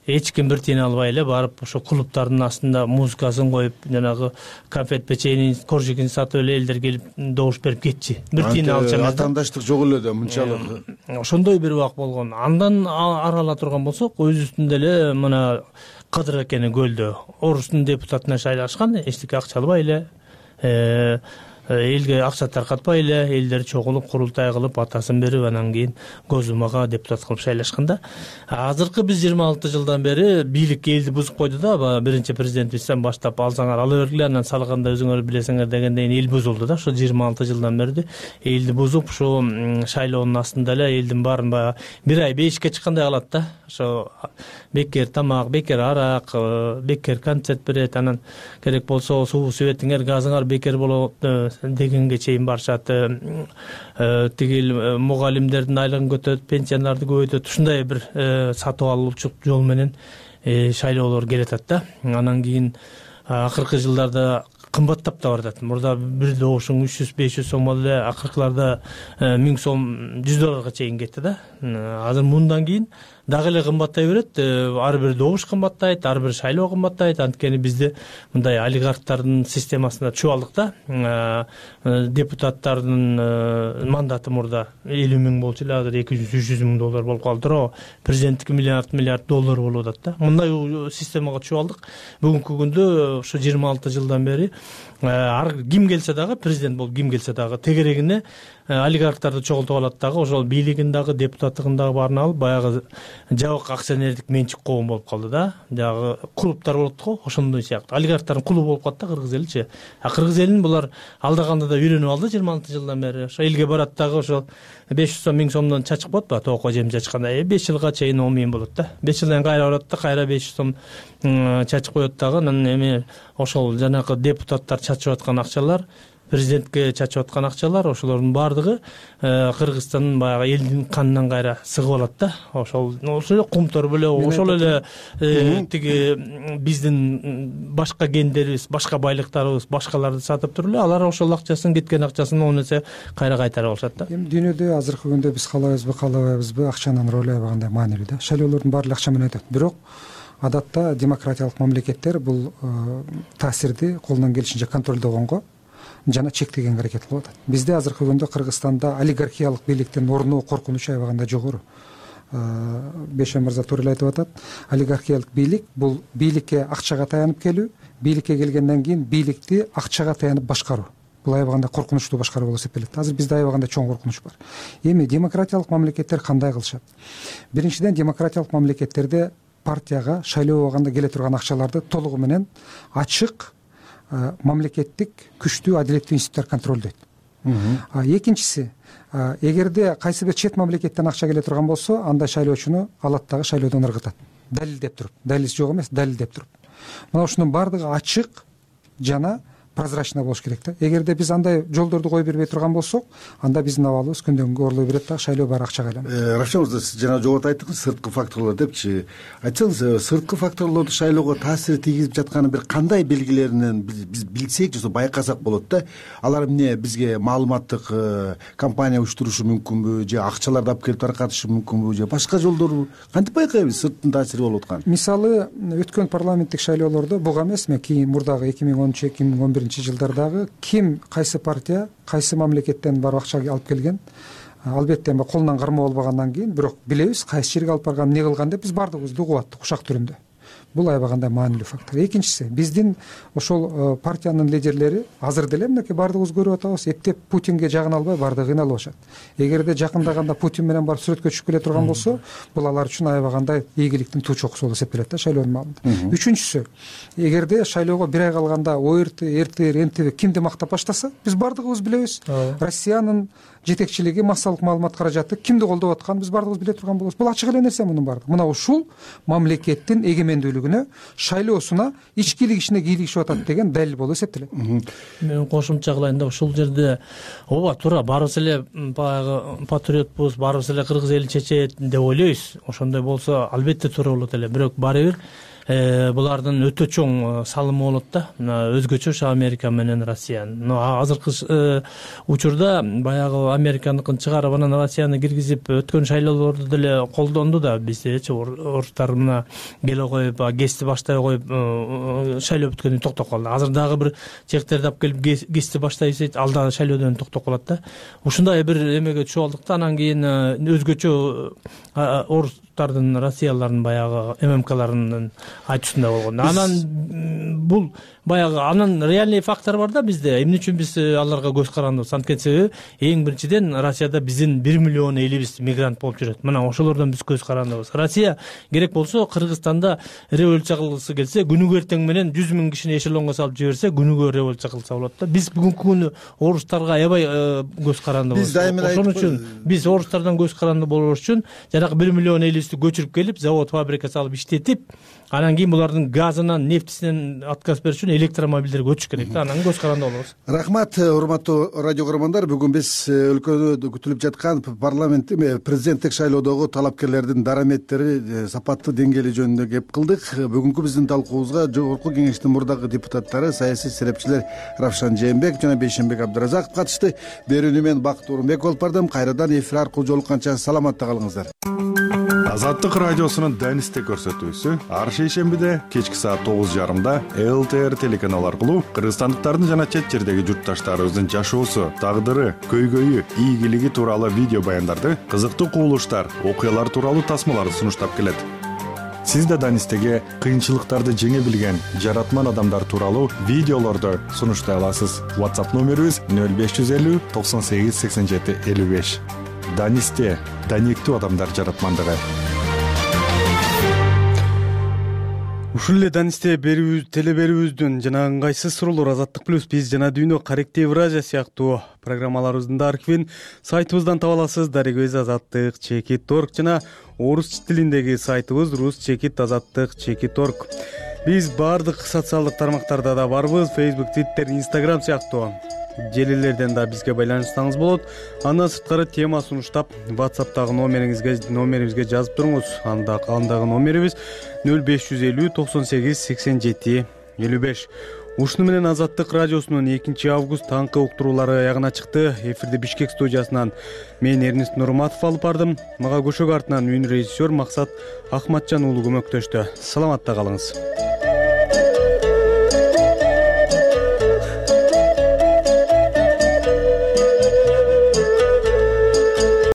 Эч ким бир тиен албай эле барып ошо клубтардын астында музыкасын коюп, жанагы конфет печенье, коржигин сатып эле элдер келип добуш берип кетчи. Бир тиен алчу эмес. Атаандаштык жок эле да мынчалык. Ошондой бир убак болгон. Андан арала турган болсок, өзүбүздүн деле мына Кадыр экени көлдө орустун депутатына шайлашкан, эчтеке акча албай эле, элге акча таркатпай эле, элдер чогулуп курултай кылып атасын берип, анан кийин Госдумага депутат кылып шайлашканда. Азыркы биз 26 жылдан бери бийлик элди бузуп койду да, биринчи президентибизден баштап алсаңар ала бергиле, анан салганда өзүңөр билесиңер дегенден эл бузулду да. Ошо 26 жылдан бери элди бузуп, ушу шайлоонун астында эле элдин баарын бир ай бешикке чыккандай кылат да. Ошо бекер тамак, бекер арак, бекер концерт берет, анан керек болсо суу светиңер, газыңар бекер болот дегенге чейин барышат. Тигил мугалимдердин айлыгын көтөрөт, пенсияларды көбөйтөт. Ушундай бир сатып алуучу жол менен шайлоолор келатат да. Анан кийин акыркы жылдарда кымбаттап да баратат. Мурда бир добушуң 300-500 сом болду эле, акыркыларда 1000 сом $100 чейин кетти да. Азыр мындан кийин дагы эле кымбаттай берет. Ар бир добуш кымбаттайт, ар бир шайлоо кымбаттайт. Анткени бизде мындай олигархтардын системасына чүп алдык да. Депутаттардын мандаты мурда 50 миң болчу эле, азыр 200-300 миң доллар болуп калды. Президенттики миллиард доллар болуп атат да. Мындай системага чүп алдык. Бүгүнкү күндө ушу 26 жылдан бери ким келсе дагы, президент болуп ким келсе дагы тегерегине олигархтарды чогултуп алат дагы, ошол бийлигин дагы, депутаттыгын дагы баарын алып, баягы жабык акционердик менчик коом болуп калды да. Жагы клубтар болот го, ошондой сыяктуу. Олигархтардын клубу болуп калды да Кыргыз эличи. Кыргыз элин булар алдаганда да үйрөнүп алды 26 жылдан бери. Ошо элге барат дагы ошол 500 сом 1000 сомдон чачып коет ба, тоокко жем чачканда 5 жылга чейин 10 миң болот да. 5 жылдан кайра барат да, кайра 500 сом чачып коет дагы. Анан эми ошол жанагы депутаттар чачып аткан акчалар, президентке чачып аткан акчалар, ошолордун баардыгы Кыргызстандын баягы элдин канынан кайра сыгып алат да. Ошол кумтор беле, ошол эле тиги биздин башка гендерибиз, башка байлыктарыбыз, башкаларды сатып туруп эле алар ошол акчасын, кеткен акчасын оонесе кайра кайтарып алышат да. Эми дүйнөдө азыркы күндө биз каалайбызбы, каалабайбызбы, акчанын ролу аябагандай маанилүү да. Шайлоолордун баары акча менен өтөт. Бирок адатта демократиялык мамлекеттер бул таасирди колунан келишинче контролдогонго жана чектегенге аракет кылып атат. Бизде азыркы күндө Кыргызстанда олигархиялык бийликтин орноо коркунучу аябагандай жогору. Бешем мырза туура эле айтып атат. Олигархиялык бийлик бул бийликке акчага таянып келүү, бийликке келгенден кийин бийликти акчага таянып башкаруу. Бул аябагандай коркунучтуу башкаруу болуп эсептелет. Азыр бизде аябагандай чоң коркунуч бар. Эми демократиялык мамлекеттер кандай кылышат? Биринчиден, демократиялык мамлекеттерде партияга шайлоо убагында келе турган акчаларды толугу менен ачык мамлекеттик күчтүү адилеттүү институттар контролдойт. Экинчиси, эгерде кайсы бир чет мамлекеттен акча келе турган болсо, андай шайлоочуну алат дагы шайлоодон ыргытат. Далилдеп туруп, далилиси жок эмес, далилдеп туруп. Мына ушунун баардыгы ачык жана прозрачно болуш керек да. Эгерде биз андай жолдорду кое бербей турган болсок, анда биздин абалыбыз күндөн күнгө орлой берет да, шайлоо баары акчага айланат. Равшан мырза, сиз жана жогоруда айттыңыз, сырткы факторлор депчи. Айтсаңыз, сырткы факторлорду шайлоого таасир тийгизип жатканын бир кандай белгилеринен биз билсек, же байкасак болот да? Алар эмне, бизге маалыматтык компания уюштурушу мүмкүнбү, же акчаларды алып келип таркатышы мүмкүнбү, же башка жолдору кантип байкайбыз сырттын таасири болуп атканын? Мисалы, өткөн парламенттик шайлоолордо буга эмес, кийин мурдагы 2013-2011 жылдардагы ким, кайсы партия, кайсы мамлекеттен барып акча алып келген, албетте колунан кармоо болбогандан кийин, бирок билебиз кайсы жерге алып барган, эмне кылган деп биз баардыгыбызды угуп аттык ушак түрүндө. Бул аябагандай маанилүү фактор. Экинчиси, биздин ошол партиянын лидерлери азыр деле мынакей баардыгыбыз көрүп атабыз, эптеп Путинге жагына албай баардыгы кыйналып атышат. Эгерде жакындаганда Путин менен барып сүрөткө түшүп келе турган болсо, бул алар үчүн аябагандай ийгиликтин туу чокусу болуп эсептелет да шайлоонун маалында. Үчүнчүсү, эгерде шайлоого бир ай калганда ОРТ, РТР, НТВ кимди мактап баштаса, биз баардыгыбыз билебиз. Россиянын жетекчилиги, массалык маалымат каражаты кимди колдоп атканын биз баардыгыбыз биле турган болобуз. Бул ачык эле нерсе мунун баардыгы. Мына ушул мамлекеттин эгемендүүлүгүнө, шайлоосуна, ичкилик ишине кийлигишип атат деген далил болуп эсептелет. Мен кошумча кылайын да, ушул жерде ооба туура, баарыбыз эле баягы патриотпуз, баарыбыз эле Кыргыз эли чечет деп ойлойбуз. Ошондой болсо албетте туура болот эле. Бирок баары бир булардын өтө чоң салымы болот да, өзгөчө Америка менен Россиянын. Азыркы учурда баягы Американыкын чыгарып, анан Россияны киргизип өткөн шайлоолорду деле колдонду да. Биздечи орустар мына келе коюп, гести баштай коюп, шайлоо бүткөндөн токтоп калды. Азыр дагы бир чектерди алып келип гести баштайбыз дейт, ал дагы шайлоодон токтоп калат да. Ушундай бир эмеге түшүп алдык да. Анан кийин өзгөчө орустардын, россиялардын баягы ММКларынын айтышында болгон. Анан бул баягы анан реальный фактор бар да бизде. Эмне үчүн биз аларга көз карандыбыз? Анткени себеби эң биринчиден Россияда биздин 1 миллион элибиз мигрант болуп жүрөт. Мына ошолордон биз көз карандыбыз. Россия керек болсо Кыргызстанда революция кылгысы келсе, күнүгө эртең менен 100 миң кишини эшелонго салып жиберсе, күнүгө революция кылса болот да. Биз бүгүнкү күнү орустарга аябай көз карандыбыз. Ошон үчүн биз орустардан көз каранды болбош үчүн жанагы 1 миллион элибизди көчүрүп келип, завод, фабрика салып иштетип, анан кийин булардын газынан, нефтисинен отказ бериш үчүн электромобилдерге өтүш керек да. Анан көз каранды болобуз. Рахмат, урматтуу радио көрөрмандар. Бүгүн биз өлкөдө күтүлүп жаткан парламент президенттик шайлоодогу талапкерлердин дараметтери, сапаттуу деңгээли жөнүндө кеп кылдык. Бүгүнкү биздин талкуубузга жогорку кеңештин мурдагы депутаттары, саясий серепчилер Равшан Жээнбек жана Бейшенбек Абдыразаков катышты. Берүүнү мен Бакыт Орунбеков алып бардым. Кайрадан эфир аркылуу жолукканча саламатта калыңыздар. Азаттык радиосунун Данисте көрсөтүүсү ар шейшембиде кечки саат 9:30 ЛТР телеканалы аркылуу кыргызстандыктардын жана чет жердеги журтташтарыбыздын жашоосу, тагдыры, көйгөйү, ийгилиги тууралуу видео баяндарды, кызыктуу кубулуштар, окуялар тууралуу тасмаларды сунуштап келет. Сиз да Данистеге кыйынчылыктарды жеңе билген жаратман адамдар тууралуу видеолорду сунуштай аласыз. WhatsApp номерибиз 0550 98 87 55. Данисте даниктүү адамдар жаратмандыгы. Ушул эле Данисте телеберүүбүздүн жана ыңгайсыз суроолор Азаттык плюс биз жана дүйнө корректив Евразия сыяктуу программаларыбыздын да архивин сайтыбыздан таба аласыз. Дарегибиз azattik.org жана орус тилиндеги сайтыбыз rus.azattik.org. Биз баардык социалдык тармактарда да барбыз. Facebook, Twitter, Instagram сыяктуу желилерден да бизге байланышсаңыз болот. Андан сырткары тема сунуштап WhatsApp'тагы номерибизге жазып туруңуз. Андагы номерибиз 0550 98 87 55. Ушуну менен Азаттык радиосунун 2 август таңкы уктуруулары аягына чыкты. Эфирди Бишкек студиясынан мен Эрнест Нурматов алып бардым. Мага көшөк артынан үн режиссер Максат Ахматжан уулу көмөктөштү. Саламатта калыңыз.